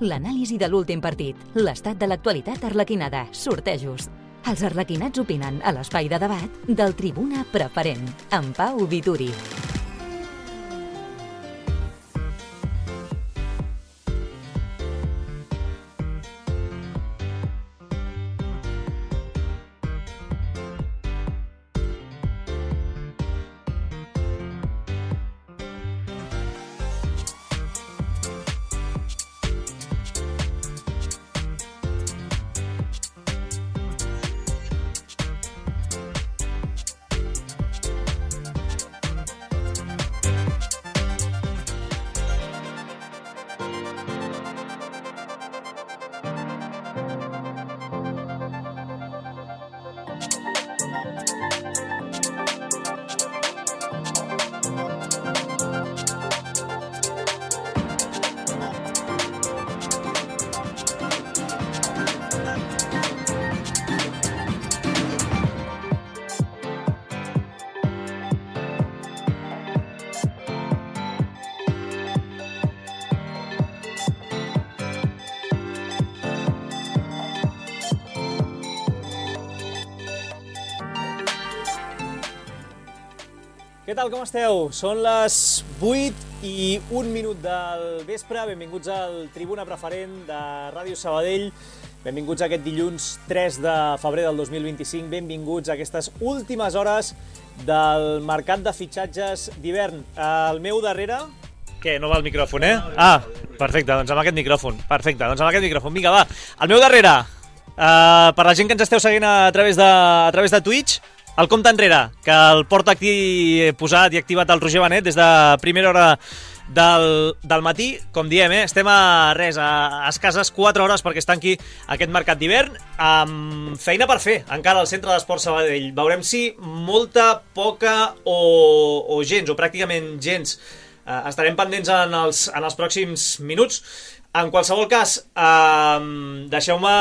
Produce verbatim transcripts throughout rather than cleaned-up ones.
l'anàlisi de l'últim partit, l'estat de l'actualitat arlequinada, sortejos. Els arlequinats opinen a l'espai de debat del Tribuna Preferent, amb Pau Vituri. Què tal, com esteu? Són les vuit i un minut del vespre. Benvinguts al Tribuna Preferent de Ràdio Sabadell. Benvinguts a aquest dilluns tres de febrer del dos mil vint-i-cinc. Benvinguts a aquestes últimes hores del mercat de fitxatges d'hivern. Al meu darrere... Què, no va el micròfon, eh? Ah, perfecte, doncs amb aquest micròfon. Perfecte, doncs amb aquest micròfon. Vinga, va. Al meu darrere, uh, per la gent que ens esteu seguint a través de, a través de Twitch, el compte enrere, que el porta aquí posat i activat el Roger Benet des de primera hora del, del matí. Com diem, eh? Estem a res, a, a escasses quatre hores perquè es tanqui aquest mercat d'hivern, amb feina per fer encara al Centre d'Esports Sabadell. Veurem si molta, poca o, o gens, o pràcticament gens. Uh, estarem pendents en els, en els pròxims minuts. En qualsevol cas, eh, deixeu-me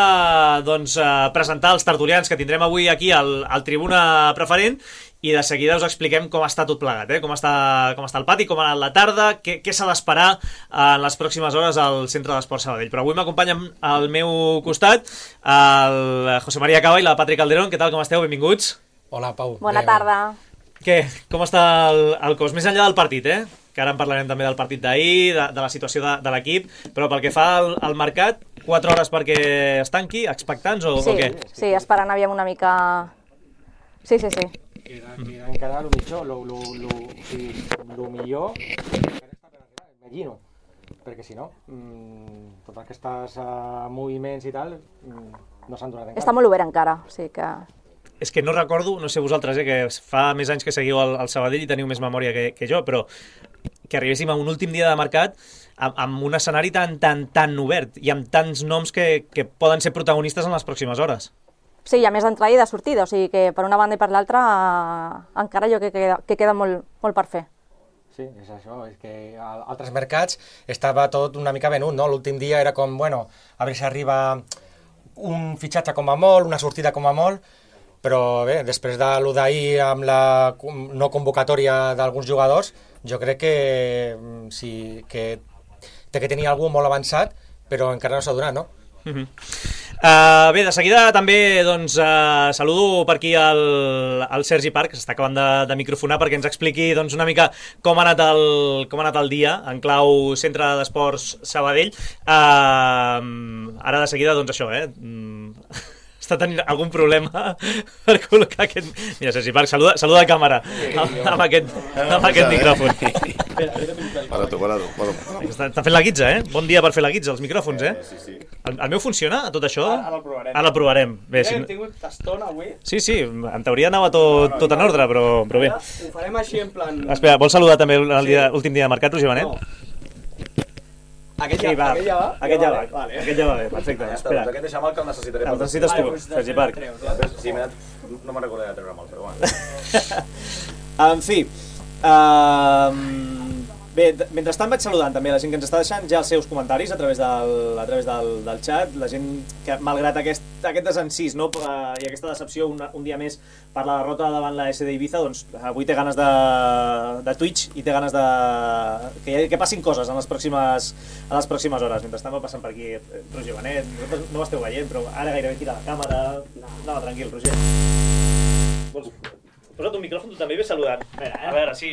doncs, eh, presentar els tertulians que tindrem avui aquí al, al Tribuna Preferent i de seguida us expliquem com està tot plegat, eh? com, està, com està el pati, com ha anat la tarda, què, què s'ha d'esperar en les pròximes hores al Centre d'Esports Sabadell. Però avui m'acompanyen al meu costat el José María Cava i la Patri Calderón. Què tal, com esteu? Benvinguts. Hola, Pau. Bona tarda. Què? Com està el, el cos? Més enllà del partit, eh? Que ara en parlarem també del partit d'ahir, de, de la situació de, de l'equip, però pel que fa al, al mercat, quatre hores perquè es tanqui, expectants o, sí, o què? Sí, esperant aviam una mica... Sí, sí, sí. Queda, queda encara el millor, lo, lo, lo, sí, lo millor imagino, perquè si no, mmm, tots aquests uh, moviments i tal, mmm, no s'han donat encara. Està molt obert encara, o sigui que... És que no recordo, no sé vosaltres, eh, que fa més anys que seguiu el, el Sabadell i teniu més memòria que, que jo, però que arribéssim a un últim dia de mercat amb, amb un escenari tan, tan, tan obert i amb tants noms que, que poden ser protagonistes en les pròximes hores. Sí, hi ha més d'entrada i de sortida, o sigui que per una banda i per l'altra eh, encara jo que queda, que queda molt, molt per fer. Sí, és això, és que a altres mercats estava tot una mica venut, no? L'últim dia era com, bueno, a veure si arriba un fitxatge com a molt, una sortida com a molt, però bé, després de l'u d'ahir amb la no convocatòria d'alguns jugadors, jo crec que sí, que té que tenir algú molt avançat, però encara no s'ha donat, no? Uh-huh. Uh, bé, de seguida també doncs, uh, saludo per aquí el, el Sergi Parc, que s'està acabant de, de microfonar perquè ens expliqui doncs, una mica com ha anat el, com ha anat el dia en clau Centre d'Esports Sabadell. Uh, ara de seguida, doncs això, eh? Mm. Està tenint algun problema per col·locar aquest... Mira, Sergi Parc, saluda, saluda a càmera amb, amb aquest, amb aquest micròfon. Para tu, para tu. Està, està fent la guitza, eh? Bon dia per fer la guitza, els micròfons, eh? Sí, sí. El, el meu funciona, tot això? Ara el provarem. Ara el provarem. Bé, si... Hem tingut tastona avui. Sí, sí, en teoria anava tot, tot en ordre, però, però bé. Ho farem així en plan... Espera, vols saludar també l'últim dia de mercat, Roger Benet? No. Aquest ja, Sí, va. aquest ja va? Aquest ja va, Vale. aquest ja va bé, perfecte. Ja està, Espera, doncs aquest deixa'm el que el necessitaré. el necessites tu, Sergi Parc. Sí, m'he anat... No me'n recordaré de treure molt, però bueno. En fi, uh, bé, Bé, mentrestant vaig saludant també la gent que ens està deixant ja els seus comentaris a través del, a través del, del xat, la gent que malgrat aquest, aquest desencís, no, i aquesta decepció un, un dia més per la derrota davant la S D Ibiza, doncs avui té ganes de, de Twitch i té ganes de que, que passin coses en les pròximes, en les pròximes hores. Mentrestant va passant per aquí Roger Benet, no ho esteu veient, però ara gairebé tira la càmera. No, no, tranquil, Roger. Vols... Posa't un micròfon, tu també ve saludant. A veure, eh? A veure, sí.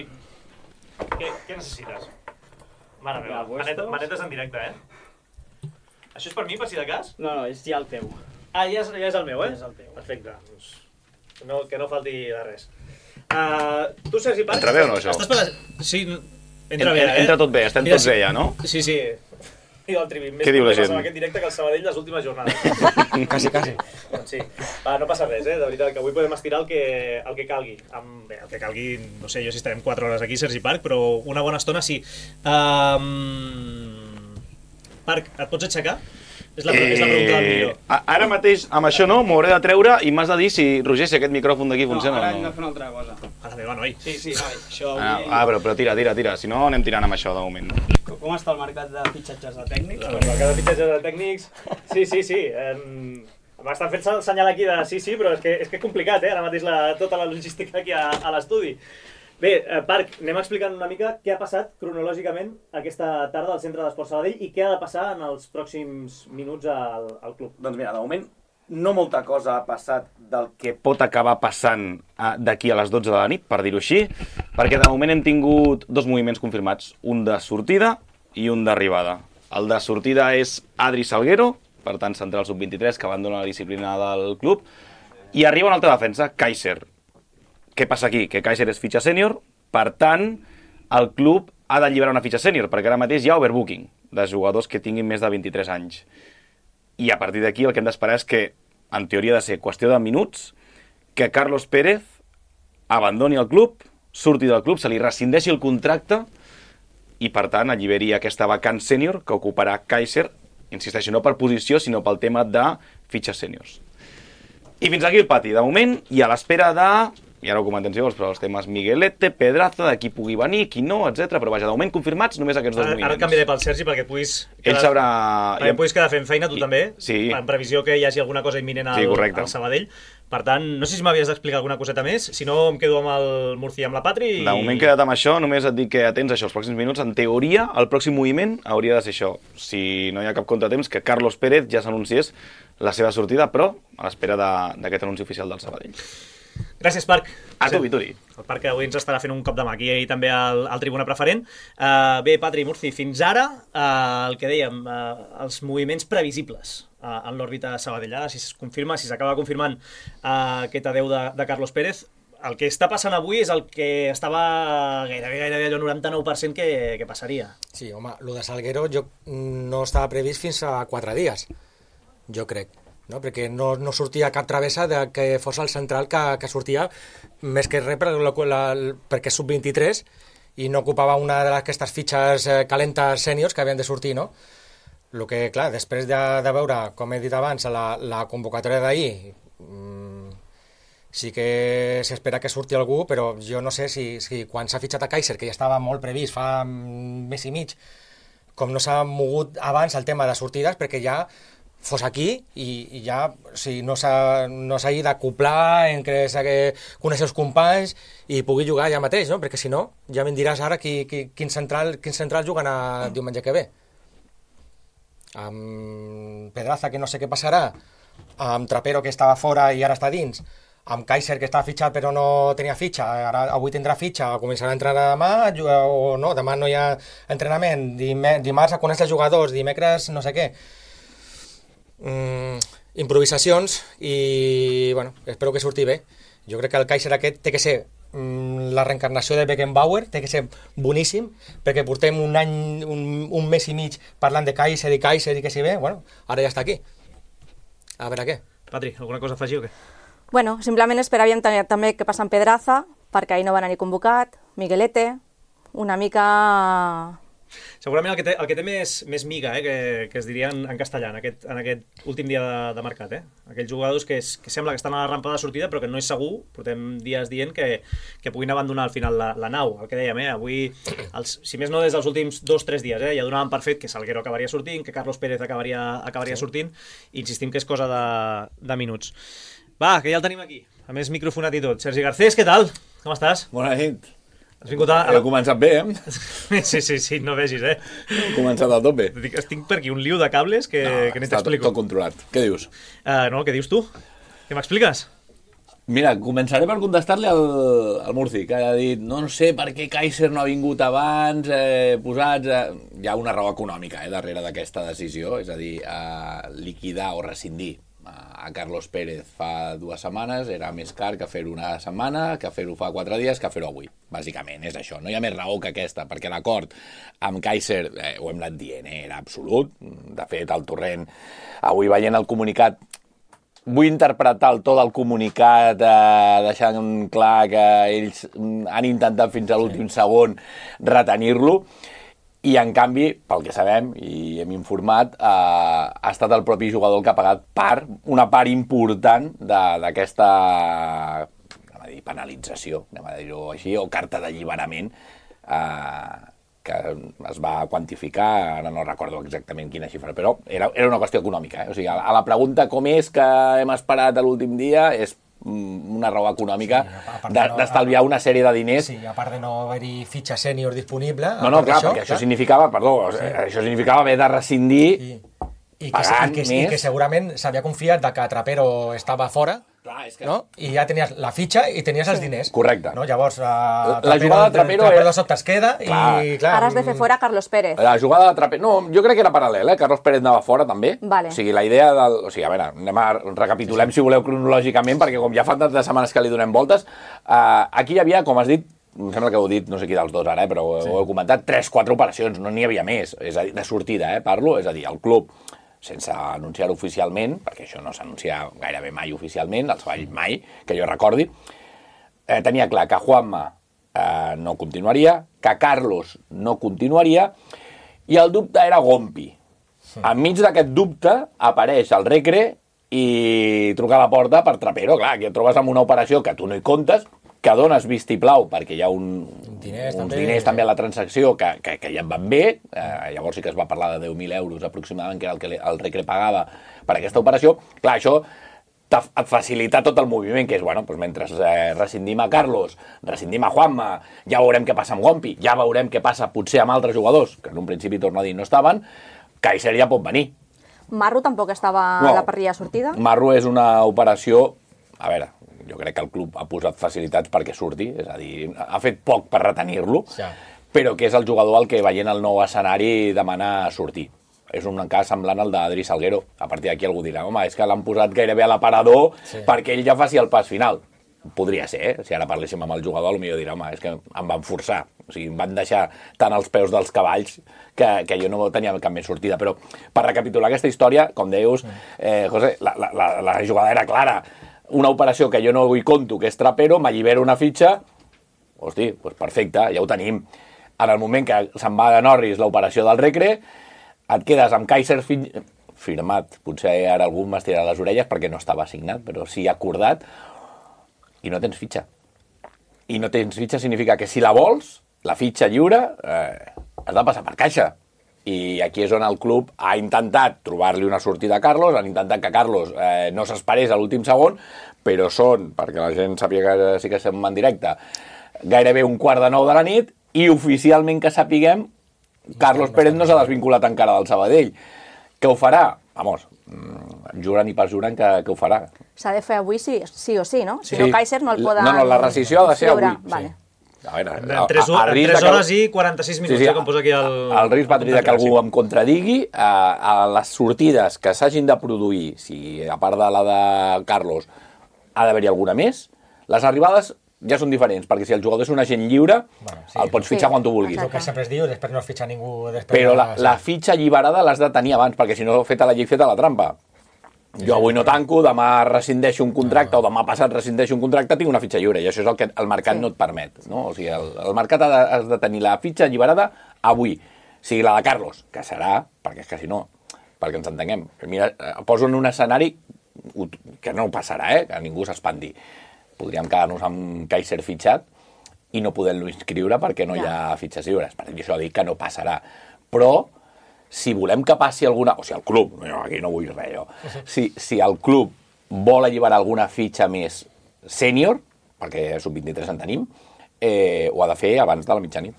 Què, què necessites? Mare meva, manetes, manetes en directe, eh? Això és per mi, per si de cas? No, no, és ja el teu. Ah, ja és, ja és el meu, eh? Ja és el teu. Perfecte. Doncs no, que no falti de res. Uh, tu, Sergi Parc... Entra bé o no, això? Estàs per la... Sí, entra bé, eh? Entra tot bé, estem Mira, tots bé ja, no? Sí, sí. I del Trivi. Què diu la gent? Més aquest directe que el Sabadell les últimes jornades. Quasi, quasi. Doncs sí. Va, no passa res, eh? De veritat, que avui podem estirar el que, el que calgui. Amb, bé, el que calgui, no sé jo si estarem quatre hores aquí, Sergi Parc, però una bona estona sí. Um... Parc, et pots aixecar? És la, eh... és la pregunta del millor. Ara mateix, amb això no, m'ho hauré de treure i m'has de dir si, Roger, si aquest micròfon d'aquí funciona no, ara o hem no. de fer una altra cosa. A la meva, noi. Sí, sí, noi, això avui... Ah, ah però, però tira, tira, tira, si no anem tirant amb això de moment. Com està el mercat de fitxatges de tècnics? El mercat de fitxatges de tècnics... Sí, sí, sí. Um... M'estan fent el senyal aquí de sí, sí, però és que és que complicat, eh? Ara mateix la, tota la logística aquí a, a l'estudi. Bé, eh, Parc, anem explicant una mica què ha passat cronològicament aquesta tarda al Centre d'Esports Sabadell i què ha de passar en els pròxims minuts al, al club. Doncs mira, de moment no molta cosa ha passat del que pot acabar passant d'aquí a les dotze de la nit, per dir-ho així, perquè de moment hem tingut dos moviments confirmats, un de sortida i un d'arribada. El de sortida és Adri Salguero, per tant central sub vint-i-tres, que abandona la disciplina del club, i arriba una altra defensa, Kaiser. Què passa aquí? Que Kaiser és fitxa sènior, per tant, el club ha d'alliberar una fitxa sènior, perquè ara mateix hi ha overbooking de jugadors que tinguin més de vint-i-tres anys. I a partir d'aquí el que hem d'esperar és que, en teoria ha de ser qüestió de minuts, que Carlos Pérez abandoni el club, surti del club, se li rescindeixi el contracte i, per tant, alliberi aquesta vacant sènior que ocuparà Kaiser, insisteixo, no per posició, sinó pel tema de fitxes sèniors. I fins aquí el pati. De moment, i a l'espera de... I ara ho comentem si vols, però els temes Miguelete, Pedraza, de qui pugui venir, qui no, etcètera. Però vaja, de moment confirmats només aquests dos ara, moviments. Ara et canviaré pel Sergi perquè et puguis... Ell quedar, sabrà... Perquè et puguis quedar fent feina, tu I... també, sí. En previsió que hi hagi alguna cosa imminent al, sí, al Sabadell. Per tant, no sé si m'havies d'explicar alguna coseta més, si no em quedo amb el Murcia i amb la Patri. I... De moment queda't amb això, només et dic que atents a això els pròxims minuts. En teoria, el pròxim moviment hauria de ser això. Si no hi ha cap contratemps, que Carlos Pérez ja s'anunciés la seva sortida, però a l'espera d'aquest anunci oficial del Sabadell. Gràcies, Parc. A tu, Vituri. El Parc que avui ens estarà fent un cop de mà aquí i també al, al Tribuna Preferent. Uh, bé, Patri, Murci, fins ara uh, el que dèiem, uh, els moviments previsibles uh, en l'òrbita Sabadell. Si es confirma, si s'acaba confirmant uh, aquest adeu de, de Carlos Pérez, el que està passant avui és el que estava gairebé, gairebé allò noranta-nou per cent que, que passaria. Sí, home, el de Salguero jo no estava previst fins a quatre dies, jo crec. No? Perquè no, no sortia cap travessa de que fos el central que, que sortia més que res per la, la, perquè és sub vint-i-tres i no ocupava una d'aquestes fitxes eh, calentes sèniors que havien de sortir, no? El que, clar, després de, de veure, com he dit abans, la, la convocatòria d'ahir, mmm, sí que s'espera que surti algú, però jo no sé si, si quan s'ha fitxat a Kaiser, que ja estava molt previst fa un mes i mig, com no s'ha mogut abans el tema de sortides, perquè ja fos aquí i, i ja o sigui, no s'ha no s'ha d'acoplar en que s'ha de conèixer els companys i pugui jugar ja mateix, no? Perquè si no, ja me'n diràs ara qui, qui, quin, central, quin central juguen a diumenge que ve. Amb Pedraza, que no sé què passarà, amb Trapero, que estava fora i ara està dins, amb Kaiser, que estava fitxat però no tenia fitxa, ara avui tindrà fitxa, començarà a entrenar demà, o no, demà no hi ha entrenament, dimarts a conèixer els jugadors, dimecres no sé què. Mm, improvisacions i bueno, espero que surti bé. Jo crec que el Kaiser aquest té que ser mm, la reencarnació de Beckenbauer, té que ser boníssim, perquè portem un any, un, un mes i mig parlant de Kaiser i Kaiser i que si bé, bueno, ara ja està aquí. A veure què. Patri, alguna cosa a afegir o què? Bueno, simplement esperaríem també que passa en Pedraza, perquè ahir no van anar ni convocat, Miguelete, una mica... segurament el que té, el que té més, més miga, eh, que, que es diria en, en castellà, en aquest, en aquest últim dia de, de mercat. Eh? Aquells jugadors que, és, que sembla que estan a la rampa de sortida, però que no és segur, portem dies dient que, que puguin abandonar al final la, la nau. El que dèiem, eh? Avui, els, si més no des dels últims dos o tres dies, eh? ja donaven per fet que Salguero acabaria sortint, que Carlos Pérez acabaria, acabaria sí. sortint, i insistim que és cosa de, de minuts. Va, que ja el tenim aquí, a més microfonat i tot. Sergi Garcés, què tal? Com estàs? Bona nit. Has vingut a... He començat bé, eh? Sí, sí, sí, no vegis, eh? He començat a tot bé. Estic per aquí un liu de cables que, no, que ni t'explico. Està tot controlat. Què dius? Uh, no, què dius tu? Què m'expliques? Mira, començaré per contestar-li al, al Murci, que ha dit no, no sé per què Kaiser no ha vingut abans, eh, posats... Eh... Hi ha una raó econòmica eh, darrere d'aquesta decisió, és a dir, eh, liquidar o rescindir a Carlos Pérez fa dues setmanes era més car que fer-ho una setmana, que fer-ho fa quatre dies, que fer-ho avui. Bàsicament, és això. No hi ha més raó que aquesta, perquè l'acord amb Kaiser, eh, ho hem anat dient, eh, era absolut. De fet, el Torrent, avui veient el comunicat, vull interpretar el to del comunicat eh, deixant clar que ells han intentat fins a l'últim sí. segon retenir-lo, i en canvi, pel que sabem i hem informat, eh, ha estat el propi jugador que ha pagat part, una part important d'aquesta penalització, anem a dir-ho així, o carta d'alliberament, eh, que es va quantificar, ara no recordo exactament quina xifra, però era, era una qüestió econòmica. Eh? O sigui, a la pregunta com és que hem esperat a l'últim dia és una raó econòmica sí, d'estalviar no, una sèrie de diners. Sí, a part de no haver-hi fitxa sènior disponible. No, no, clar, això, perquè clar. això significava, perdó, sí. això significava haver de rescindir sí. I que, i, que, i que segurament s'havia confiat de que Trapero estava fora, clar, és que... no? I ja tenies la fitxa i tenies els diners. Correcte. No? Llavors, uh, la, la jugada de Trapero... Trapero de sobte es queda clar. i... Clar, ara has de fer fora Carlos Pérez. La jugada de Trapero... No, jo crec que era paral·lel, eh? Carlos Pérez anava fora, també. Vale. O sigui, la idea del... O sigui, a veure, anem a recapitulem, sí, sí. si voleu, cronològicament, perquè com ja fa tantes setmanes que li donem voltes, uh, aquí hi havia, com has dit, em sembla que ho he dit, no sé qui dels dos ara, eh, però sí. ho heu comentat, tres quatre operacions, no n'hi havia més. És a dir, de sortida, eh, parlo, és a dir, el club... sense anunciar-ho oficialment, perquè això no s'anuncia gairebé mai oficialment, els Valls mai, que jo recordi, eh, tenia clar que Juanma eh, no continuaria, que Carlos no continuaria, i el dubte era Gompi. Sí. Enmig d'aquest dubte apareix el Recre i truca a la porta per Trapero. Clar, que et trobes amb una operació que tu no hi comptes, que dones vistiplau perquè hi ha un, diners, uns també, diners també a la transacció que, que, que ja en van bé, eh, llavors sí que es va parlar de deu mil euros aproximadament, que era el que el Recre pagava per aquesta operació. Clar, això et facilita tot el moviment, que és, bueno, doncs mentre eh, rescindim a Carlos, rescindim a Juanma, ja veurem què passa amb Gompi, ja veurem què passa potser amb altres jugadors, que en un principi, torno a dir, no estaven, Kaiser ja pot venir. Marro tampoc estava no, a la parrilla sortida? Marro és una operació, a veure, jo crec que el club ha posat facilitats perquè surti, és a dir, ha fet poc per retenir-lo, sí. però que és el jugador al que veient el nou escenari demana sortir. És un cas semblant al d'Adri Salguero. A partir d'aquí algú dirà, home, és que l'han posat gairebé a l'aparador sí. perquè ell ja faci el pas final. Podria ser, eh? Si ara parléssim amb el jugador, potser dirà, home, és que em van forçar. O sigui, em van deixar tant als peus dels cavalls que, que jo no tenia cap més sortida. Però per recapitular aquesta història, com deius, eh, José, la, la, la, la jugada era clara. Una operació que jo no hi conto, que és Trapero, m'allibera una fitxa, hosti, doncs perfecte, ja ho tenim. En el moment que se'n va de Norris l'operació del Recre, et quedes amb Kaiser fi... firmat, potser ara algú m'estirarà les orelles perquè no estava signat, però sí acordat, i no tens fitxa. I no tens fitxa significa que si la vols, la fitxa lliure, eh, has de passar per caixa. I aquí és on el club ha intentat trobar-li una sortida a Carlos, han intentat que Carlos eh, no s'esperés a l'últim segon, però són, perquè la gent sàpiga que sí que estem en directe, gairebé un quart de nou de la nit, i oficialment que sapiguem, Carlos Pérez no s'ha desvinculat encara del Sabadell. Què ho farà? Vamos, juren i perjuren que, que ho farà. S'ha de fer avui sí, sí o sí, no? Si sí. no, Kaiser no el poden... No, no, la rescissió ha de ser avui. Vale. Sí. A veure, en tres hores i quaranta-sis minuts, sí, sí, com posa aquí el... El risc va tenir que algú em contradigui. A, a les sortides que s'hagin de produir, si a part de la de Carlos ha d'haver-hi alguna més, les arribades ja són diferents, perquè si el jugador és un agent lliure, bueno, sí, el pots fitxar sí, quan tu vulguis. El que sempre es diu, després no es fitxa ningú... Però la, la fitxa alliberada l'has de tenir abans, perquè si no, feta la llei, feta la trampa. Jo avui no tanco, demà rescindeixo un contracte no. o demà passat rescindeixo un contracte, tinc una fitxa lliure, i això és el que el mercat sí. no et permet. No? O sigui, el, el mercat ha de, has de tenir la fitxa alliberada avui. sigui la de Carlos, que serà, perquè és que si no, perquè ens entenguem, mira, poso en un escenari que no passarà, eh? Que ningú s'espanti. Podríem quedar-nos amb Kaiser fitxat i no poder-lo inscriure perquè no hi ha fitxes lliures. Per això dic que no passarà. Però, si volem que passi alguna... O sigui, el club, no, aquí no vull res, jo. Si, si el club vol alliberar alguna fitxa més sènior, perquè sub vint-i-tres en tenim, eh, ho ha de fer abans de la mitjanit.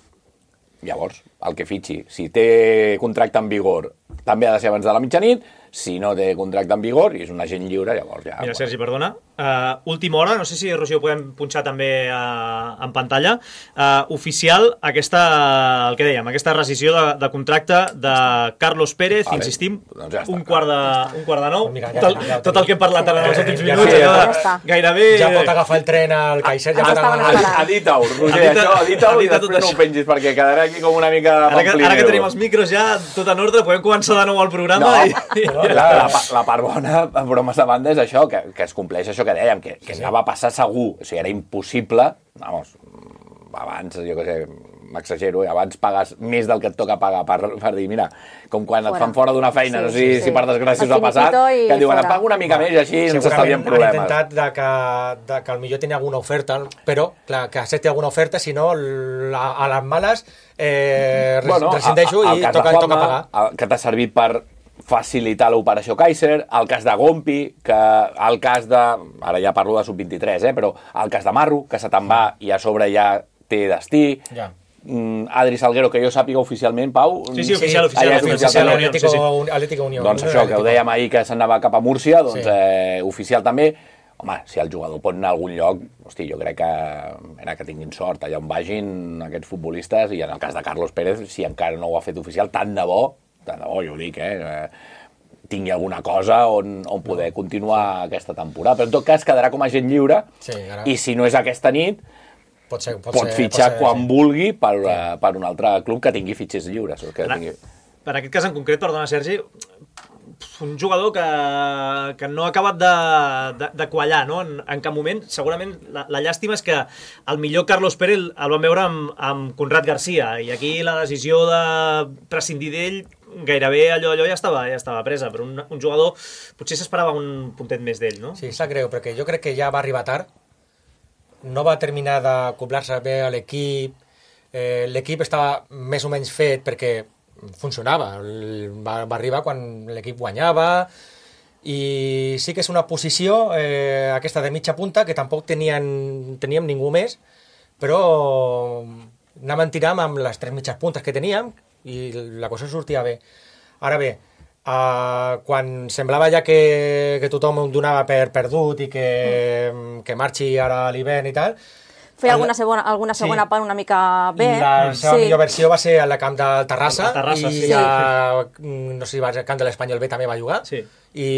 Llavors, el que fitxi, si té contracte en vigor, també ha de ser abans de la mitjanit. Si no té contracte en vigor i és un agent lliure, llavors ja... Mira, Sergi, perdona. Uh, última hora, no sé si, Roger, ho podem punxar també uh, en pantalla. Uh, oficial, aquesta, el que dèiem, aquesta rescisió de, de contracte de Carlos Pérez, vale. Insistim, doncs ja un, quart de, un quart de nou. Mira, ja, tot, ja, ja, tot el que hem parlat ara en els últims minuts, ja, ja, ja, gairebé... Ja pot agafar el tren al Kaiser, ja pot agafar... Edita-ho, Roger, això, edita-ho i després no ho pengis, perquè quedarà aquí com una mica... Ara que, ara que tenim els micros ja tot en ordre, podem començar de nou el programa i... La, la, la part bona, bromes a banda, és això, que, que es compleix això que dèiem, que, que sí. Anava a passar segur, o sigui, era impossible, vamos, abans, jo què sé, m'exagero, abans pagues més del que et toca pagar per, per dir, mira, com quan fora. Et fan fora d'una feina, sí, no sé sí, si, sí. si per desgràcia us ha passat, que et diuen, et pago una mica més i així ens estalviem problemes. Han intentat de que, de que potser tenia alguna oferta, però, clar, que accepti alguna oferta, si no, la, a les males eh, bueno, rescindeixo i toca, Juanma, toca pagar. El que t'ha servit per facilitar l'operació Kaiser, el cas de Gompi, que el cas de... Ara ja parlo de sub vint-i-tres, eh, però el cas de Marro, que se te'n va i a sobre ja té destí. Ja. Adri Salguero, que jo sàpiga oficialment, Pau... Sí, sí, oficial, oficial. Ah, ja oficial, Atlético, sí, sí. Atlético Unió. Doncs això, que ho dèiem ahir, que s'anava cap a Múrcia, doncs sí. eh, oficial també. Home, si el jugador pot anar a algun lloc, hosti, jo crec que era que tinguin sort allà on vagin aquests futbolistes, i en el cas de Carlos Pérez, si encara no ho ha fet oficial, tant de bo, tant de bo, jo ho dic, eh, tingui alguna cosa on, on poder continuar aquesta temporada. Però en tot cas quedarà com a agent lliure, sí, ara... i si no és aquesta nit, pot, ser, pot, pot ser, fitxar pot ser, quan sí. vulgui per, sí. per un altre club que tingui fitxers lliures. Que per, tingui... per aquest cas en concret, perdona, Sergi, un jugador que, que no ha acabat de, de, de quallar, no? En, en cap moment. Segurament la, la llàstima és que el millor Carlos Pérez el vam veure amb, amb Conrad García, i aquí la decisió de prescindir d'ell gairebé allò, allò ja estava, ja estava presa, però un, un jugador potser s'esperava un puntet més d'ell, no? Sí, sap greu, perquè jo crec que ja va arribar tard, no va terminar d'acoblar-se bé a l'equip, eh, l'equip estava més o menys fet perquè funcionava, va, va arribar quan l'equip guanyava, i sí que és una posició, eh, aquesta de mitja punta, que tampoc tenien, teníem ningú més, però anàvem tirant amb les tres mitges puntes que teníem, i la cosa sortia bé. Ara bé, uh, quan semblava ja que, que tothom ho donava per perdut i que, mm. que marxi ara a l'hivern i tal, feia alguna segona, alguna segona sí. part una mica bé. La seva sí. millor versió va ser al camp del Terrassa, Terrassa i sí. ja, no sé si va al camp de l'Espanyol B també va jugar, sí. i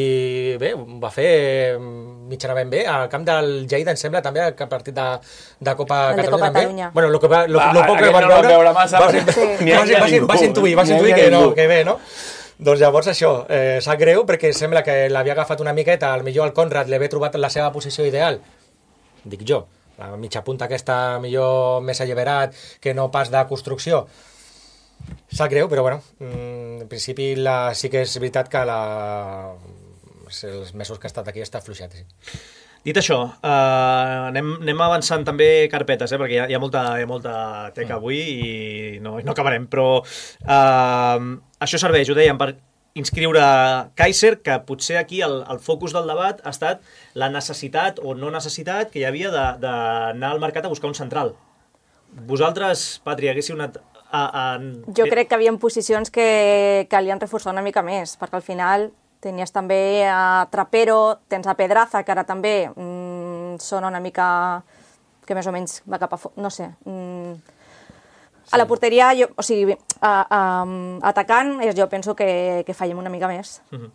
bé, va fer mitjanament bé. Al camp del Lleida, em sembla, també, el partit de, de Copa de Catalunya. Copa Catalunya. Bueno, lo, que va, lo, va, lo poc que van no veure, veure massa, va, sí. va, va, va, va intuir, va intuir que, no, que bé, no? Doncs llavors això, eh, sap greu, perquè sembla que l'havia agafat una miqueta, al millor el Conrad li havia trobat la seva posició ideal, dic jo, la mitja punta aquesta millor més alliberat que no pas de construcció. Sap greu, però bueno, en principi la, sí que és veritat que la, els mesos que ha estat aquí està fluixat. Sí. Dit això, uh, anem, anem avançant també carpetes, eh, perquè hi ha, hi ha, molta, hi ha molta teca avui i no, no acabarem, però uh, això serveix, ho dèiem, per inscriure Kaiser, que potser aquí el, el focus del debat ha estat la necessitat o no necessitat que hi havia d'anar al mercat a buscar un central. Vosaltres, Patri, haguéssiu anat... A, a... Jo crec que hi havia posicions que calien reforçar una mica més, perquè al final tenies també a Trapero, tens a Pedraza, que ara també mmm, sona una mica que més o menys va cap a... No sé... Mmm, a la porteria, jo, o sigui, a, a, atacant, jo penso que, que fallem una mica més. Uh-huh.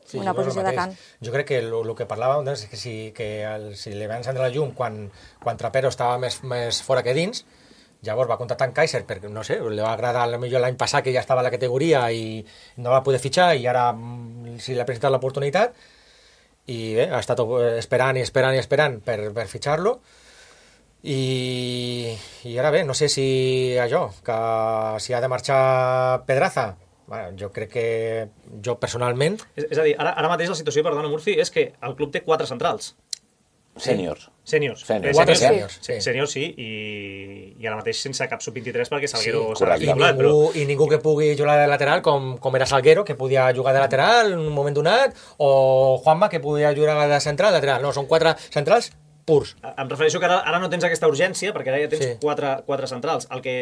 Sí, una posició d'atacant. Jo crec que el que parlàvem doncs, és que si, que el, si li va encendre la llum quan, quan Trapero estava més, més fora que dins, llavors va contractar en Kaiser perquè, no sé, li va agradar millor l'any passat que ja estava a la categoria i no va poder fitxar, i ara si li ha presentat l'oportunitat i bé, ha estat esperant i esperant i esperant per, per fitxar-lo. I, i ara bé, no sé si allò, que si ha de marxar Pedraza, bueno, jo crec que jo personalment... És, és a dir, ara, ara mateix la situació, perdona, Murci, és que el club té quatre centrals. Sèniors. Sèniors. Sèniors. Quatre sèniors, sí. Sèniors, sí, i, i ara mateix sense cap sub vint-i-tres perquè Salguero Sí, s'ha i, titulat, ningú, però... i ningú que pugui jugar de lateral com, com era Salguero, que podia jugar de lateral en un moment donat, o Juanma, que podia jugar de central, lateral. No, són quatre centrals purs. Em refereixo que ara, ara no tens aquesta urgència, perquè ara ja tens Sí. quatre, quatre centrals. El que,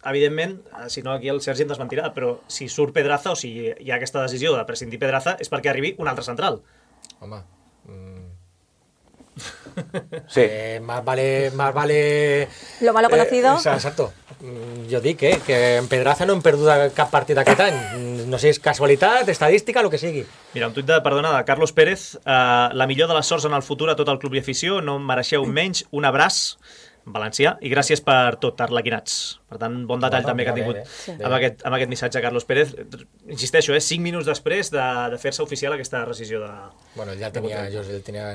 evidentment, si no aquí el Sergi em desmentirà, però si surt Pedraza o si hi ha aquesta decisió de prescindir Pedraza és perquè arribi un altre central. Home... Mm. Sí. Eh, más vale, más vale... Lo malo conocido. Eh, exacto. Mm, Jo dic eh, que en Pedraza no hem perdut cap partit aquest any. Mm, No sé, és casualitat, estadística, el que sigui. Mira, un tuit de, perdona, de Carlos Pérez. Uh, la millor de les sorts en el futur a tot el club i afició. No em mereixeu menys. Un abraç valencià i gràcies per tot, arlequinats. Per tant, bon detall Bueno, també que ha bé, tingut bé, sí. amb, aquest, amb aquest missatge Carlos Pérez. Insisteixo, eh, cinc minuts després de, de fer-se oficial aquesta decisió de... Bueno, ja el tenia, jo el tenia,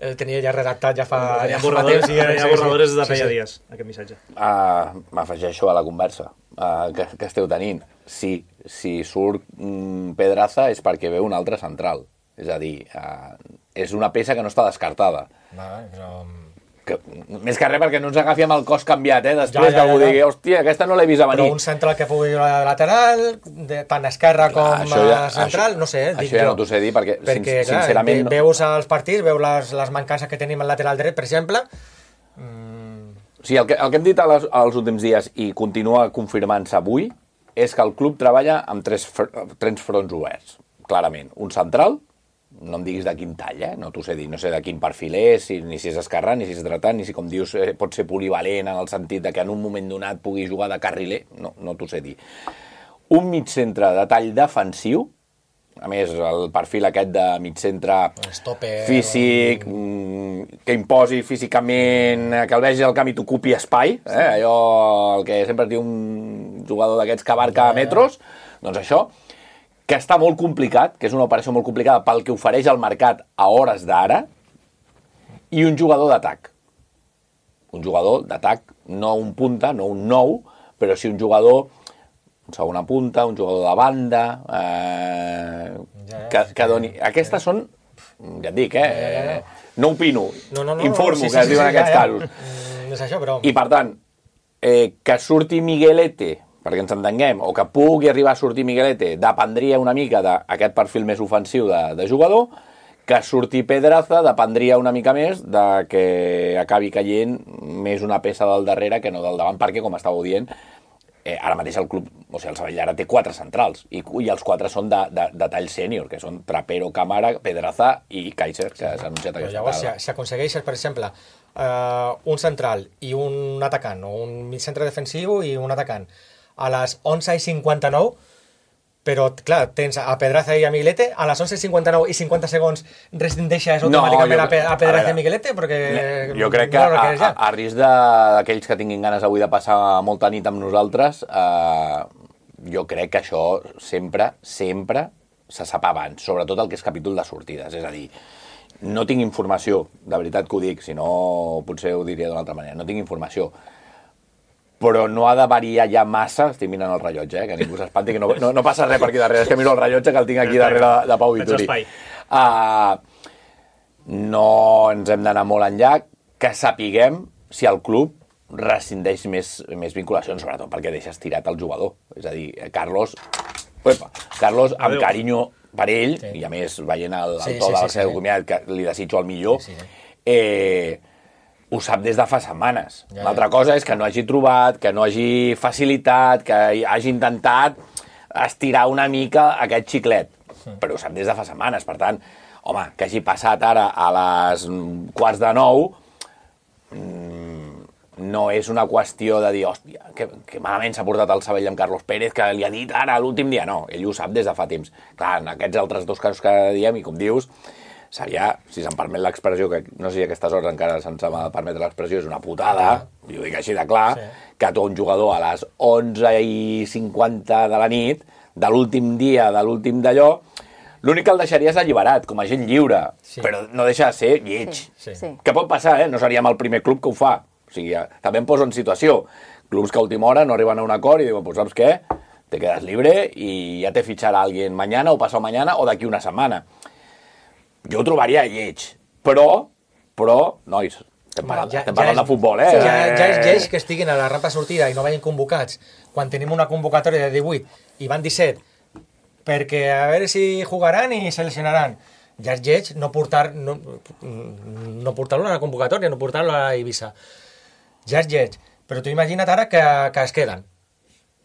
el tenia ja redactat ja fa, Tenia ja fa borradores, temps. i ja- tenia sí, sí. borradores de Sí, feia sí. dies, aquest missatge. Uh, M'afegeixo a la conversa uh, que, que esteu tenint. Sí, si surt mm, Pedraza és perquè ve un altre central. És a dir, uh, és una peça que no està descartada. Vale, però... Que, més que res perquè no ens agafi amb el cos canviat, eh? Després Ja, ja, que algú ja, ja. digui, hòstia, aquesta no l'he vist a Però venir. un central que pugui jugar de lateral, de, tant esquerra com això ja- a central, això- no sé, eh, això dic ja jo. no t'ho sé dir, perquè, sin- perquè clar, sincerament, ve- veus els partits, veus les, les mancances que tenim al lateral dret, per exemple. Mm, O sigui, el que, el que hem dit als, als últims dies i continua confirmant-se avui és que el club treballa amb tres, fr tres fronts oberts, clarament. Un central, no em diguis de quin tall, eh? No t'ho sé dir, no sé de quin perfil és, si, ni si és esquerrà, ni si és dretà, ni si, com dius, eh, pot ser polivalent en el sentit de que en un moment donat pugui jugar de carriler, no, no t'ho sé dir. Un mig centre de tall defensiu, a més, el perfil aquest de mig centre Stopper, físic, mm, que imposi físicament, que el vegi al camp i t'ocupi espai, eh? Allò el que sempre es diu un jugador d'aquests que abarca metros, doncs això, que està molt complicat, que és una operació molt complicada pel que ofereix el mercat a hores d'ara, i un jugador d'atac. Un jugador d'atac, no un punta, no un nou, però sí un jugador, un segona punta, un jugador de banda, eh, que, que doni... Aquestes són, ja et dic, eh, no opino, No, no, no, informo, sí, sí, que es sí, diuen sí, aquests ja, ja. casos. Mm, és això, però... I per tant, eh, que surti Miguelete, perquè ens entenguem, o que pugui arribar a sortir Miguelete, dependria una mica d'aquest perfil més ofensiu de, de jugador, que surti Pedraza dependria una mica més de que acabi caient més una peça del darrere que no del davant, perquè, com estàveu dient, eh, ara mateix el club, o sigui, el Sabadell ara té quatre centrals, i, i els quatre són de, de, de tall sènior, que són Trapero, Camara, Pedraza i Kaiser, que s'ha anunciat Però aquesta llavors, si, tarda. si aconsegueixes, per exemple, uh, un central i un atacant, o un mig centre defensiu i un atacant, a les onze i cinquanta-nou, però, clar, tens a Pedraza i a Miguelete, a les onze i cinquanta-nou i cinquanta segons rescindeixes automàticament jo- a, Pe a a Pedraza veure, i Miguelete, perquè... Jo crec que no ho a, requereix a, ja. a risc d'aquells que tinguin ganes avui de passar molta nit amb nosaltres, eh, jo crec que això sempre, sempre se sap abans, sobretot el que és capítol de sortides. És a dir, no tinc informació, de veritat que ho dic, si no potser ho diria d'una altra manera, no tinc informació, però no ha de variar ja massa, estic mirant el rellotge, eh, que ningú s'espanti, que no, no, no passa res per aquí darrere, és que miro el rellotge que el tinc aquí darrere de, de Pau Faig Vituri. espai. Uh, no ens hem d'anar molt enllà, que sapiguem si el club rescindeix més, més vinculacions, sobretot perquè deixes tirat el jugador. És a dir, Carlos, uepa, Carlos amb Adéu. carinyo per ell, Sí. i a més veient el, el Sí, to sí, del sí, seu sí. comiat, que li desitjo el millor, Sí, sí. eh, ho sap des de fa setmanes. Ja, ja. L'altra cosa és que no hagi trobat, que no hagi facilitat, que hagi intentat estirar una mica aquest xiclet. Però ho sap des de fa setmanes. Per tant, home, que hagi passat ara a les quarts de nou, no és una qüestió de dir, hòstia, que, que malament s'ha portat el Sabadell amb Carlos Pérez, que li ha dit ara l'últim dia. No, ell ho sap des de fa temps. Clar, en aquests altres dos casos que diem, i com dius, seria, si se'm permet l'expressió, que no sé si a aquestes hores encara se'ns ha de permetre l'expressió, és una putada, i ho dic així de clar, Sí. que tu un jugador a les onze i cinquanta de la nit, de l'últim dia, de l'últim d'allò, L'únic que el deixaries alliberat, com a gent lliure, sí. però no deixa de ser lleig. Sí, sí. Que pot passar, eh? No seríem el primer club que ho fa. O sigui, també em poso en situació. Clubs que a última hora no arriben a un acord i diuen, pues, saps què? Te quedas libre i ja te ficharà alguien mañana o pasado mañana o d'aquí una setmana. Jo ho trobaria lleig. Però, però, nois, estem parlant, ja, estem parlant ja és, de futbol, eh? Sí, ja, ja és lleig que estiguin a la rampa sortida i no vagin convocats quan tenim una convocatòria de divuit i van disset perquè a veure si jugaran i seleccionaran. Ja és lleig no portar no, no portar-lo a la convocatòria, no portar-lo a Eivissa. Ja és lleig. Però tu imagina't ara que, que es queden.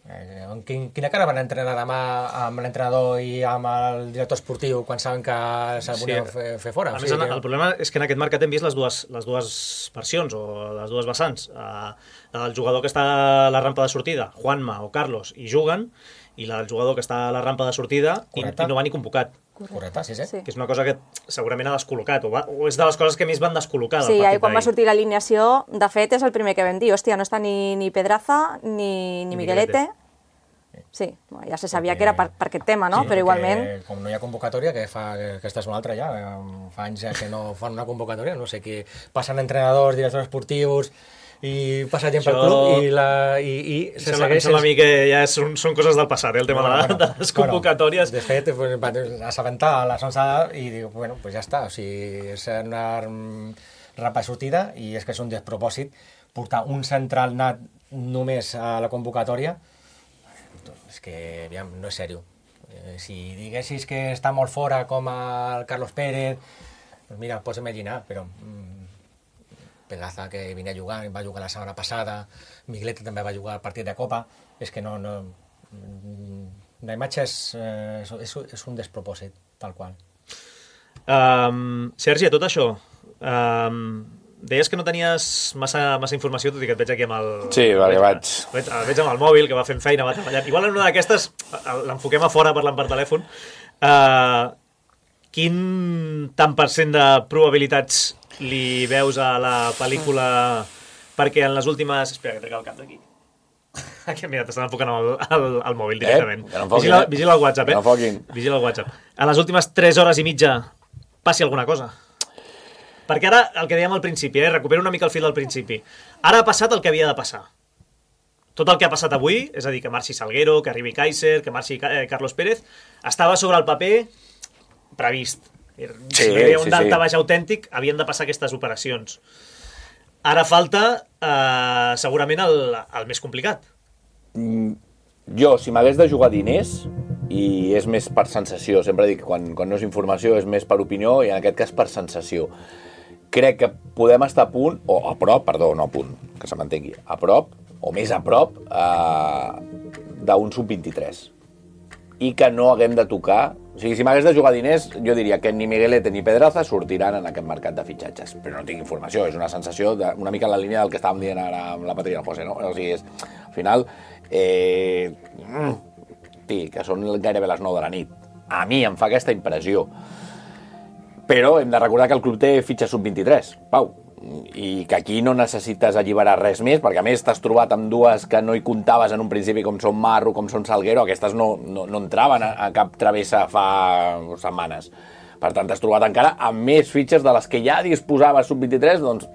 Eh, quin, quina cara van entrenar demà amb l'entrenador i amb el director esportiu quan saben que se'l volien sí. fer, fer fora? A o més, sigui, el, el problema és que en aquest mercat hem vist les dues, les dues versions o les dues vessants. Uh, el jugador que està a la rampa de sortida, Juanma o Carlos, i juguen, i el jugador que està a la rampa de sortida i, i no va ni convocat. Correcte, sí, sí, sí. Que és una cosa que segurament ha descol·locat, o, va, o és de les coses que més van descol·locar sí, del partit quan va sortir l'alineació, de fet, és el primer que vam dir, hòstia, no està ni, ni Pedraza ni, ni Miguelete. Sí, ja se sabia perquè, que era per, per aquest tema, no? Sí, però igualment... Com no hi ha convocatòria, que fa que aquesta és una altra ja, fa anys ja que no fan una convocatòria, no sé, que passen entrenadors, directors esportius i passa gent pel club i, la, i, i se sembla, segueix... Sembla a mi que ja són, són coses del passat, eh, el tema bueno, de, bueno, de les convocatòries. Bueno, de fet, pues, va assabentar a les onze i dic, bueno, pues ja està, o sigui, és una rampa sortida i és que és un despropòsit portar un central nat només a la convocatòria, és que, aviam, no és sèrio. Eh, si diguessis que està molt fora com el Carlos Pérez, pues mira, pots imaginar, però... Mm, Pedraza, que venia jugant, va jugar la setmana passada, Miguelete també va jugar al partit de Copa, és que no... no la imatge és, és, és un despropòsit, tal qual. Um, Sergi, a tot això, um, deies que no tenies massa, massa informació, tot i que et veig aquí amb el... Sí, perquè vaig... Veig, el veig amb el mòbil, que va fent feina, va treballant. Igual en una d'aquestes l'enfoquem a fora parlant per telèfon. Uh, quin tant per cent de probabilitats li veus a la pel·lícula perquè en les últimes... Espera, que trec el cap d'aquí. Aquí, mira, t'estan enfocant al, al, al mòbil directament. Eh? No vigila, vigila el WhatsApp, eh? No vigila el WhatsApp. A les últimes tres hores i mitja passi alguna cosa. Perquè ara, el que dèiem al principi, eh? Recupero una mica el fil del principi. Ara ha passat el que havia de passar. Tot el que ha passat avui, és a dir, que marxi Salguero, que arribi Kaiser, que marxi eh, Carlos Pérez, estava sobre el paper previst. Si sí, no hi havia un sí, daltabaix sí. autèntic, havien de passar aquestes operacions. Ara falta, eh, segurament, el, el més complicat. Mm, jo, si m'hagués de jugar diners, i és més per sensació, sempre dic que quan, quan no és informació és més per opinió, i en aquest cas per sensació. Crec que podem estar a punt, o a prop, perdó, no a punt, que se m'entengui, a prop, o més a prop, eh, d'un sub vint-i-tres. I que no haguem de tocar... O sigui, si m'hagués de jugar diners, jo diria que ni Miguelete ni Pedraza sortiran en aquest mercat de fitxatges. Però no tinc informació, és una sensació de, una mica en la línia del que estàvem dient ara amb la Patri i el José, no? O sigui, és, al final, eh, tí, que són gairebé les nou de la nit. A mi em fa aquesta impressió. Però hem de recordar que el club té fitxa sub vint-i-tres, Pau, i que aquí no necessites alliberar res més, perquè a més t'has trobat amb dues que no hi comptaves en un principi, com són Marro, com són Salguero, aquestes no, no, no entraven a, a cap travessa fa setmanes. Per tant, t'has trobat encara amb més fitxes de les que ja disposaves sub vint-i-tres, doncs...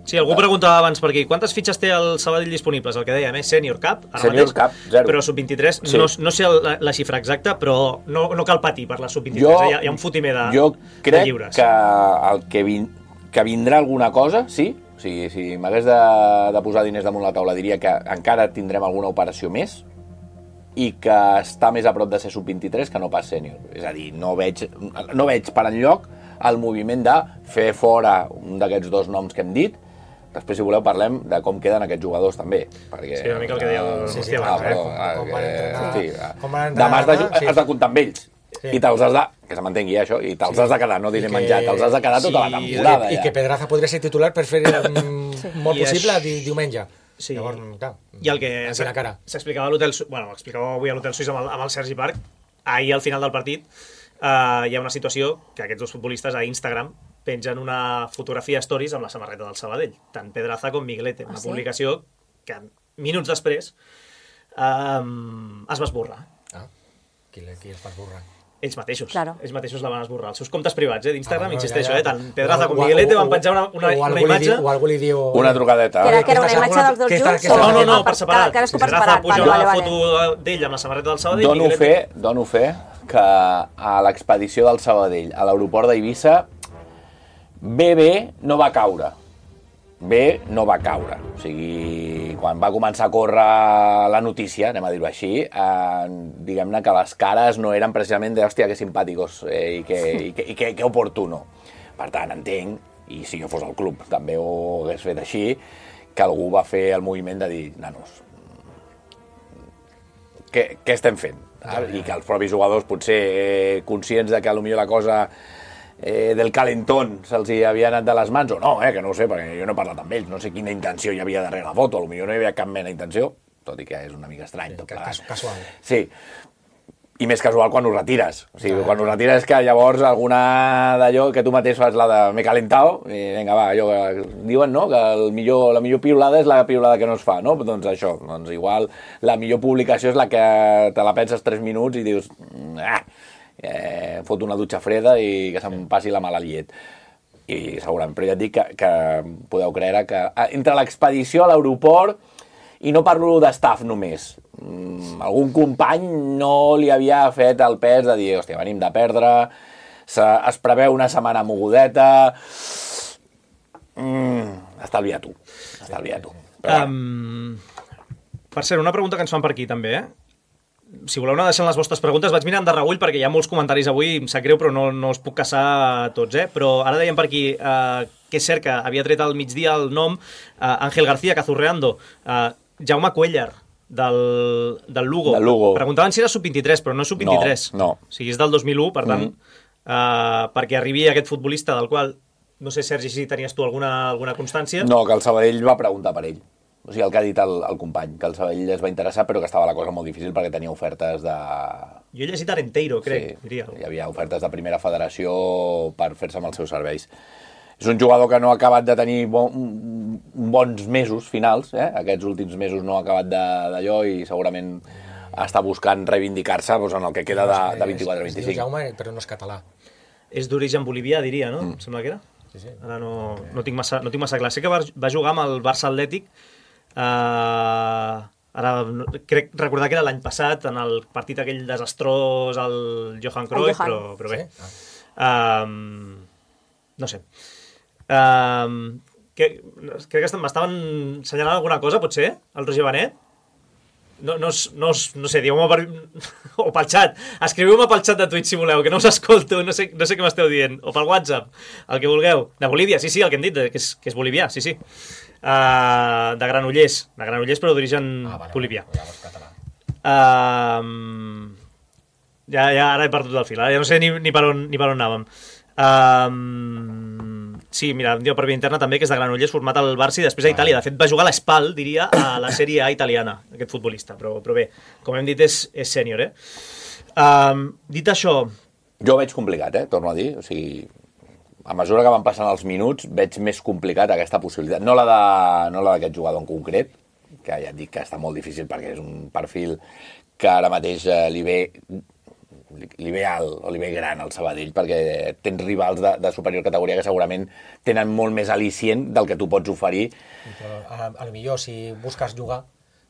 Sí, algú preguntava abans per aquí, quantes fitxes té el Sabadell disponibles? El que dèiem, eh? Senior Cup, ara Senior mateix, Cup, zero. Però sub vint-i-tres, sí. no, no sé la, la xifra exacta, però no, no cal patir per la sub vint-i-tres, jo, hi, ha, hi ha un fotimer de, jo crec de lliures. Que, el que, vin, que vindrà alguna cosa, sí, o sigui, si m'hagués de, de posar diners damunt la taula diria que encara tindrem alguna operació més i que està més a prop de ser sub vint-i-tres que no pas sènior. És a dir, no veig, no veig per enlloc el moviment de fer fora un d'aquests dos noms que hem dit. Després, si voleu, parlem de com queden aquests jugadors, també. Perquè, sí, una mica el que deia el... Sí, sí, ah, eh? com, com van entrenar... Sí, com van entrenar... Demà has de, sí. has de comptar amb ells. Sí. I te'ls has de... Que se m'entengui, això. I te'ls sí. has de quedar, no diré que... menjar. Te'ls has de quedar tota sí, la temporada. I que, ja. I que Pedraza podria ser titular per fer sí. molt I possible és... diumenge. Sí. Llavors, clar, i el que s'explicava a l'hotel... Bueno, explicava avui a l'hotel Suís amb el, amb el Sergi Parc, ahir al final del partit, eh, hi ha una situació que aquests dos futbolistes a Instagram pengen una fotografia stories amb la samarreta del Sabadell, tant Pedraza com Miguelete, una ah, sí? publicació que minuts després um, es va esborrar. Ah, qui, qui es va esborrar? ells mateixos. Claro. Ells mateixos la van esborrar. Els seus comptes privats, eh, d'Instagram, Ah, bueno, insisteixo, ja, ja. eh, tant Pedraza com O- o- Miguelete o- van penjar una, una, o algú una li imatge... diu- O algú li diu... Una trucadeta. Que era, que era una Aquesta imatge segona- dels dos que està- junts? que No, està- no, no, Ah, per separat. Cadascú per Pedraza separat. puja Vale, una vale, vale. foto d'ell amb la samarreta del Sabadell. Dono Miguelete- fe, dono fe que a l'expedició del Sabadell a l'aeroport d'Eivissa bé, bé, no va caure. Bé, no va caure. O sigui, quan va començar a córrer la notícia, anem a dir-ho així, eh, diguem-ne que les cares no eren precisament de, hòstia, que simpàticos eh, i, que, i, que, i que, que oportuno. Per tant, entenc, i si jo fos al club també ho hagués fet així, que algú va fer el moviment de dir, nanos, què, què estem fent? I que els propis jugadors, potser eh, conscients de que potser la cosa eh, del calentón se'ls hi havia anat de les mans, o no, eh, que no ho sé, perquè jo no he parlat amb ells, no sé quina intenció hi havia darrere la foto, potser no hi havia cap mena d'intenció, tot i que és una mica estrany. Tot plegat. Casual. Sí, i més casual quan ho retires. O sigui, quan ho retires és que llavors alguna d'allò que tu mateix fas la de m'he calentado, i vinga, va, allò que diuen, no?, que el millor, la millor piulada és la piulada que no es fa, no? Doncs això, doncs igual la millor publicació és la que te la penses tres minuts i dius, ah, eh, fot una dutxa freda i que se'm passi la mala llet. I segurament, però ja et dic que, que podeu creure que entre l'expedició a l'aeroport, i no parlo d'estaf només, algun company no li havia fet el pes de dir, hòstia, venim de perdre, se, es preveu una setmana mogudeta, mm, estalvia tu, estalvia tu. Però, Um, per cert, una pregunta que ens fan per aquí també, eh? Si voleu anar deixant les vostres preguntes, vaig mirant de reüll perquè hi ha molts comentaris avui, em sap greu, però no, no els puc caçar tots, eh? Però ara dèiem per aquí eh, que és cert que havia tret al migdia el nom eh, Ángel García Cazurreando, eh, Jaume Cuellar, del, del Lugo. Del Lugo. Preguntaven si era sub vint-i-tres, però no és sub vint-i-tres. No, no. O sigui, és del dos mil u, per tant, mm. eh, perquè arribi aquest futbolista del qual, no sé, Sergi, si tenies tu alguna, alguna constància. no, que el Sabadell va preguntar per ell. O sigui, el que ha dit el, el company, que el Sabadell es va interessar, però que estava la cosa molt difícil perquè tenia ofertes de... Jo he llegit Arenteiro, crec, sí, diria. hi havia ofertes de primera federació per fer-se amb els seus serveis. És un jugador que no ha acabat de tenir bon, bons mesos finals, eh? Aquests últims mesos no ha acabat d'allò i segurament està buscant reivindicar-se doncs, en el que queda de, de vint-i-quatre a vint-i-cinc. Es diu Jaume, però no és català. És d'origen bolivià, diria, no? Mm. Em sembla que era. Sí, sí. Ara no, no, tinc massa, no tinc massa clar. Sé que va, va jugar amb el Barça Atlètic, eh, ara no, crec recordar que era l'any passat, en el partit aquell desastrós al Johan Cruyff, Johan. però, però bé. Sí? Ah. Um, no sé. Um, que, crec que m'estaven assenyalant alguna cosa, potser, el Roger Benet? No, no, no, no sé, dieu-me per... o pel xat, escriviu-me pel xat de Twitch si voleu, que no us escolto, no sé, no sé què m'esteu dient, o pel WhatsApp, el que vulgueu. De Bolívia, sí, sí, el que hem dit, que és, que és bolivià, sí, sí. Uh, de Granollers, de Granollers però d'origen Ah, vale, bolivià. ja vols català. Uh, ja, ja, ara he perdut el fil, ara ja no sé ni, ni, per, on, ni per on anàvem. Uh, sí, mira, em diu per via interna també que és de Granollers, format al Barça i després a Itàlia. De fet, va jugar a l'Espal, diria, a la Sèrie A italiana, aquest futbolista. Però, però bé, com hem dit, és, és sènior, eh? Uh, dit això... Jo ho veig complicat, eh? Torno a dir. O sigui, a mesura que van passant els minuts, veig més complicat aquesta possibilitat. No la de, no la d'aquest jugador en concret, que ja et dic que està molt difícil perquè és un perfil que ara mateix eh, li ve li ve alt o li ve gran al Sabadell, perquè tens rivals de, de superior categoria que segurament tenen molt més al·licient del que tu pots oferir. Però a, a lo millor, si busques jugar,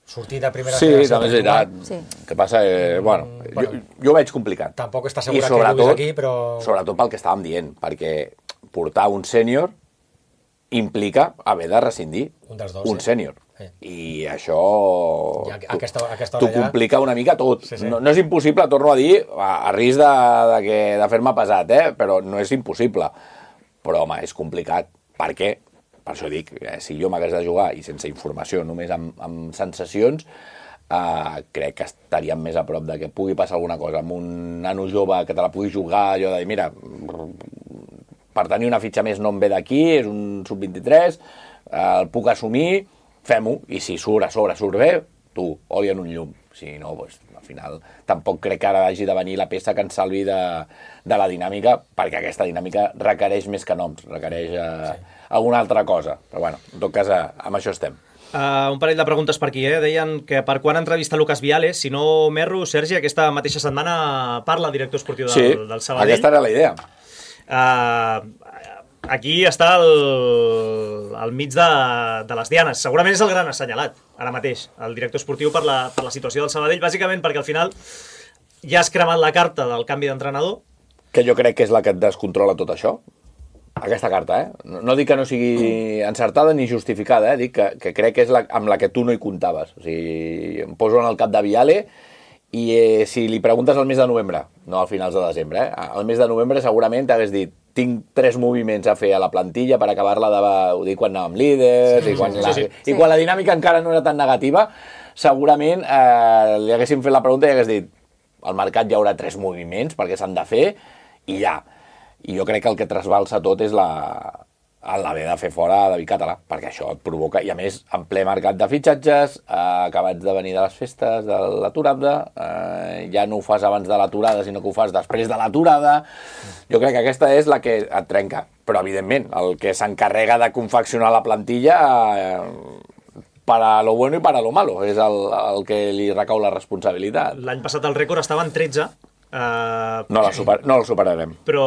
sortir de primera Sí, federació també és per jugar, veritat. Sí. Que passa, eh, bueno, bueno. jo, jo ho veig complicat. Tampoc està I assegurat que sobretot, juguis aquí, però... sobretot pel que estàvem dient, perquè portar un sènior implica haver de rescindir Un dels dos, un sí. sènior. Sí. I això I a- aquesta, aquesta t'ho hora ja... complica una mica tot. Sí, sí. No, no és impossible, torno a dir, a, a risc de, de, que, de fer-me pesat, eh? Però no és impossible. Però, home, és complicat. Per què? Per això dic, eh, si jo m'hagués de jugar i sense informació, només amb, amb sensacions, eh, crec que estaríem més a prop de que pugui passar alguna cosa amb un nano jove que te la pugui jugar, allò de dir, mira, per tenir una fitxa més no em ve d'aquí, és un sub vint-i-tres, eh, el puc assumir, fem-ho, i si surt a sobre, surt bé, tu, oli en un llum. Si no, doncs, al final, tampoc crec que ara hagi de venir la peça que ens salvi de, de la dinàmica, perquè aquesta dinàmica requereix més que noms, requereix eh, sí. alguna altra cosa. Però, bueno, en tot cas, eh, amb això estem. Uh, un parell de preguntes per aquí, eh? Deien que per quan entrevista Lucas Viales, si no m'erro, Sergi, aquesta mateixa setmana parla el director esportiu del, sí, del Sabadell. Aquesta era la idea. Uh, aquí està al, al mig de, de les dianes. Segurament és el gran assenyalat, ara mateix, el director esportiu per la, per la situació del Sabadell, bàsicament perquè al final ja has cremat la carta del canvi d'entrenador. Que jo crec que és la que et descontrola tot això. Aquesta carta, eh? No, no dic que no sigui encertada ni justificada, eh? Dic que, que crec que és la, amb la que tu no hi comptaves. O sigui, em poso en el cap de Viale i eh, si li preguntes al mes de novembre, no al finals de desembre, eh? Al mes de novembre segurament t'hagués dit tinc tres moviments a fer a la plantilla per acabar-la de... Ho dic quan anàvem líders sí, i, quan sí, la, sí, sí. i quan la dinàmica encara no era tan negativa, segurament eh, li haguéssim fet la pregunta i hagués dit al mercat hi haurà tres moviments perquè s'han de fer i ja. I jo crec que el que trasbalsa tot és la l'haver de fer fora David Català, perquè això et provoca, i a més, en ple mercat de fitxatges, eh, acabats de venir de les festes, de l'aturada, eh, ja no ho fas abans de l'aturada, sinó que ho fas després de l'aturada. Jo crec que aquesta és la que et trenca. Però, evidentment, el que s'encarrega de confeccionar la plantilla, eh, para lo bueno i para lo malo, és el, el que li recau la responsabilitat. L'any passat el rècord estava en tretze, Uh, no, la super, no el superarem. Però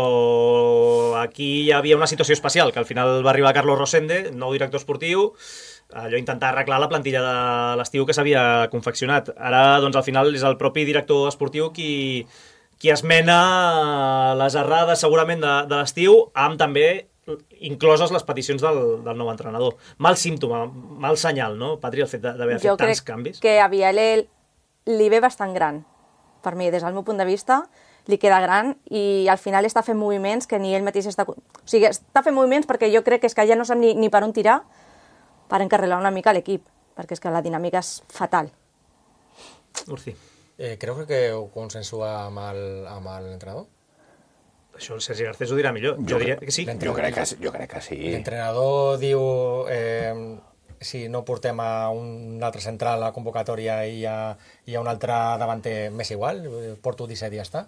aquí hi havia una situació especial, que al final va arribar Carlos Rosende, nou director esportiu, allò intentar arreglar la plantilla de l'estiu que s'havia confeccionat. Ara, doncs, al final és el propi director esportiu qui, qui esmena les errades segurament de, de l'estiu, amb també incloses les peticions del, del nou entrenador. Mal símptoma, mal senyal, no, Patri, el fet d'haver fet tants canvis? Jo crec que a Viale li ve bastant gran. Per mi, des del meu punt de vista, li queda gran i al final està fent moviments que ni ell mateix està... O sigui, està fent moviments perquè jo crec que, és que ja no sap ni, ni per on tirar per encarrilar una mica l'equip, perquè és que la dinàmica és fatal. Urci. Eh, creu que ho consensua amb l'entrenador? Això el Sergi Garcés ho dirà millor. Jo, jo diria que sí. Jo crec que, jo crec que sí. L'entrenador diu... Eh, si no portem a un altre central a la convocatòria i a, i a un altre davanter m'és igual, porto disset i ja està.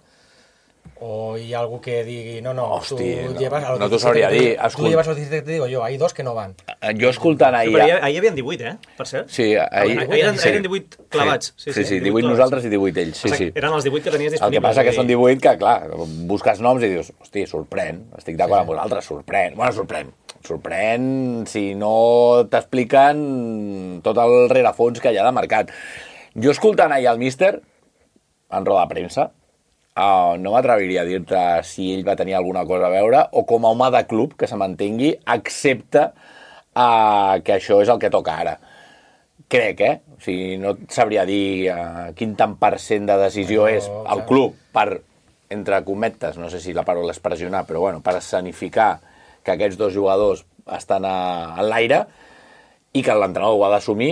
O hi ha algú que digui, no, no, Hosti, tu no, llevas... No t'ho sabria dir. Tu llevas los disset, te digo yo, hay dos que no van. Jo escoltant ahir... Sí, però ahir hi havia divuit, eh, per cert. Sí, ahir... Ahir eren, eren divuit clavats. Sí, sí, sí, sí divuit nosaltres i divuit ells. Sí, sí. Eren els divuit que tenies disponibles. El que passa que són divuit que, clar, busques noms i dius, hosti, sorprèn, estic d'acord amb vosaltres, sorprèn. Bueno, sorprèn. Sorprèn si no t'expliquen tot el rerefons que hi ha de mercat. Jo escoltant ahir el míster, en roda de premsa, uh, no m'atreviria a dir-te si ell va tenir alguna cosa a veure o com a home de club que se mantengui, excepte uh, que això és el que toca ara. Crec, eh? O sigui, no et sabria dir uh, quin tant per cent de decisió no, és el club per, entre cometes, no sé si la paraula és pressionar, però bueno, per escenificar que aquests dos jugadors estan a, a l'aire i que l'entrenador ho ha d'assumir,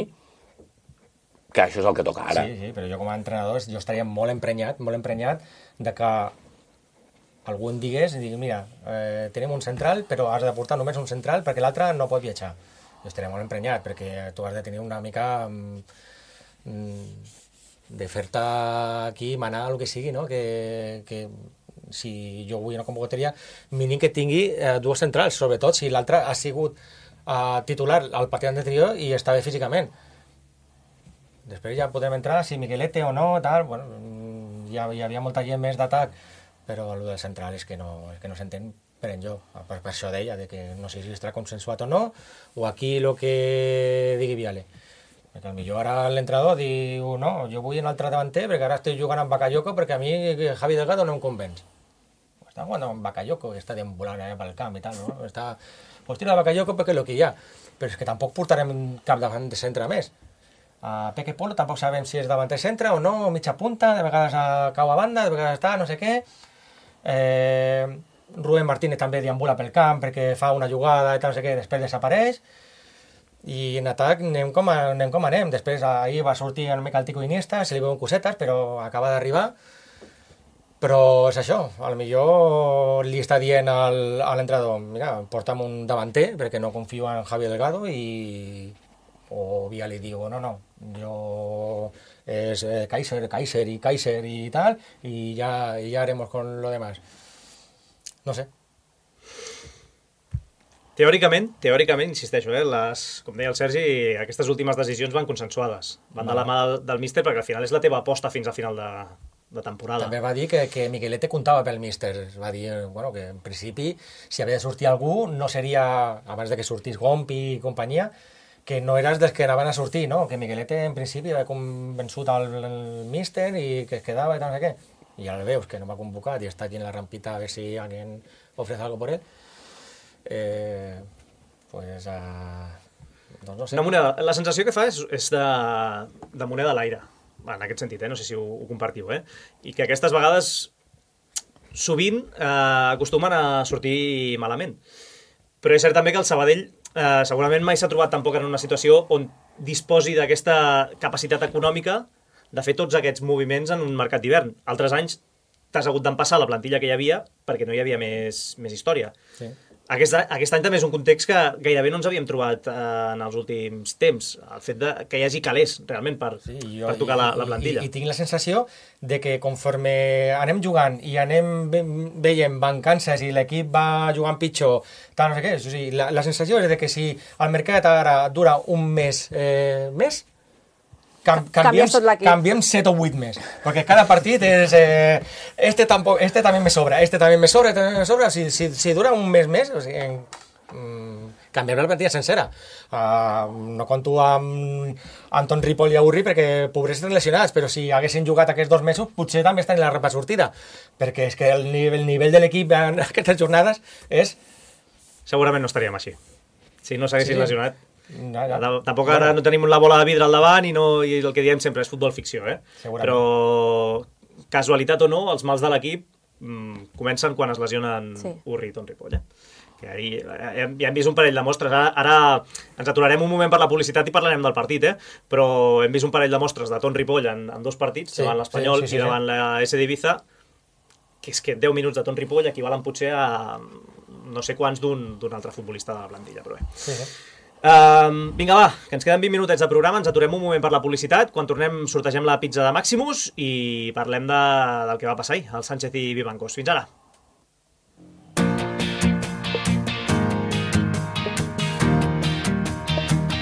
que això és el que toca ara. Sí, sí, però jo com a entrenador jo estaria molt emprenyat, molt emprenyat de que algú em digués i digui, mira, eh, tenim un central, però has de portar només un central perquè l'altre no pot viatjar. Jo estaria molt emprenyat perquè tu has de tenir una mica mm, de fer-te aquí manar el que sigui, no? Que... que si jo vull una convocatòria, mínim que tingui eh, dues centrals, sobretot si l'altre ha sigut eh, titular al partit anterior i està bé físicament. Després ja podem entrar si Miguelete o no, tal, bueno, ja hi havia molta gent més d'atac, però el del central és que no, és que no s'entén per enlloc. Per, per això deia, de que no sé si estarà consensuat o no, o aquí el que digui Viale. Perquè potser ara l'entrenador diu, no, jo vull un altre davanter perquè ara estic jugant amb Bakayoko perquè a mi Javi Delgado no em convenç. Està jugant amb Bakayoko, que està deambulant allà pel camp i tal, no? Està... Pues tira Bakayoko perquè és el que hi ha. Però és que tampoc portarem cap davant de centre més. A Peque Polo tampoc sabem si és davanter centre o no, o mitja punta, de vegades a cau a banda, de vegades està, no sé què. Eh... Rubén Martínez també deambula pel camp perquè fa una jugada i tal, no sé què, després desapareix. I en atac anem com, a, anem com anem. Després ahir va sortir una mica el Tico Iniesta, se li veuen cosetes, però acaba d'arribar. Però és això, a lo millor li està dient al, a l'entrenador, mira, porta'm un davanter, perquè no confio en Javi Delgado, i o Via li diu, no, no, jo és eh, Kaiser, Kaiser i Kaiser i tal, i ja, y ya haremos con lo demás. No sé. Teòricament, teòricament, insisteixo, eh, les, com deia el Sergi, aquestes últimes decisions van consensuades. Van de la mà del, del míster perquè al final és la teva aposta fins a final de, de temporada. També va dir que, que Miguelete comptava pel míster. Va dir bueno, que en principi, si havia de sortir algú, no seria, abans de que sortís Gompi i companyia, que no eres dels que anaven a sortir, no? Que Miguelete en principi havia convençut al míster i que es quedava i tal, no sé què. I ara veus que no m'ha convocat i està aquí en la rampita a veure si alguien ofrece algo por él. Eh, pues, uh, doncs no sé. Una moneda, la sensació que fa és, és de, de moneda a l'aire, en aquest sentit, eh? No sé si ho, ho compartiu, eh? I que aquestes vegades sovint eh, acostumen a sortir malament. Però és cert també que el Sabadell eh, segurament mai s'ha trobat tampoc en una situació on disposi d'aquesta capacitat econòmica de fer tots aquests moviments en un mercat d'hivern. Altres anys t'has hagut d'empassar la plantilla que hi havia perquè no hi havia més, més història. Sí. Aquest, aquest any també és un context que gairebé no ens havíem trobat eh, en els últims temps. El fet de que hi hagi calés, realment, per, sí, jo, per tocar i, la, la plantilla. I, I tinc la sensació de que conforme anem jugant i anem veient mancances i l'equip va jugant pitjor, tal, no sé què, o sigui, la, la sensació és de que si el mercat ara dura un mes eh, més, Cam, canviem, canviem set o vuit més, perquè cada partit és eh, este, tampoc, este també me sobra, este també me sobra, este també me sobra, si, si, si dura un mes més, o sigui, mm, canviem la plantilla sencera. Uh, no conto amb Anton Ripoll i Aurri perquè pobres lesionats, però si haguessin jugat aquests dos mesos potser també estan en la repa sortida, perquè és que el nivell, el nivell de l'equip en aquestes jornades és... Segurament no estaríem així, si no s'haguessin sí. lesionat. Ja, ja. Tampoc ara no tenim la bola de vidre al davant i, no, i el que diem sempre és futbol ficció, eh? Però casualitat o no, els mals de l'equip mmm, comencen quan es lesionen sí. Urri i Ton Ripoll, eh? Que ahir, ja hem vist un parell de mostres, ara, ara ens aturarem un moment per la publicitat i parlarem del partit, eh? Però hem vist un parell de mostres de Ton Ripoll en, en dos partits, sí, davant l'Espanyol sí, sí, sí, i davant sí. la S d'Ibiza, que és que deu minuts de Ton Ripoll equivalen potser a no sé quants d'un altre futbolista de la plantilla, però bé. Sí, sí. Uh, vinga va, que ens queden vint minutets de programa, ens aturem un moment per la publicitat, quan tornem sortegem la pizza de Maximus i parlem de, del que va passar ahir, el Sánchez i Vivancos. Fins ara.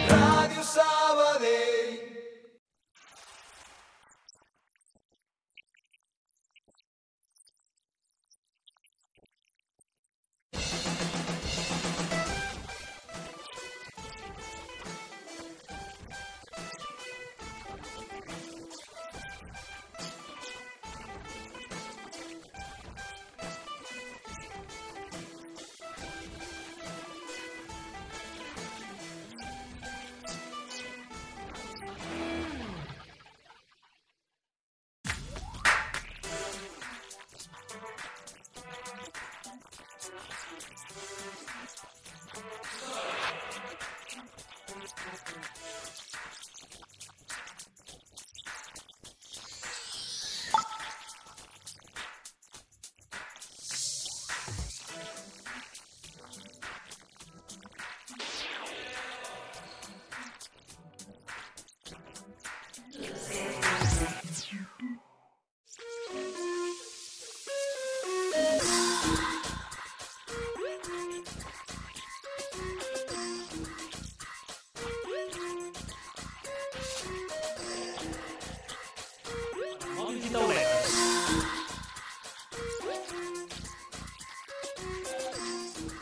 Ràdio Sabadell.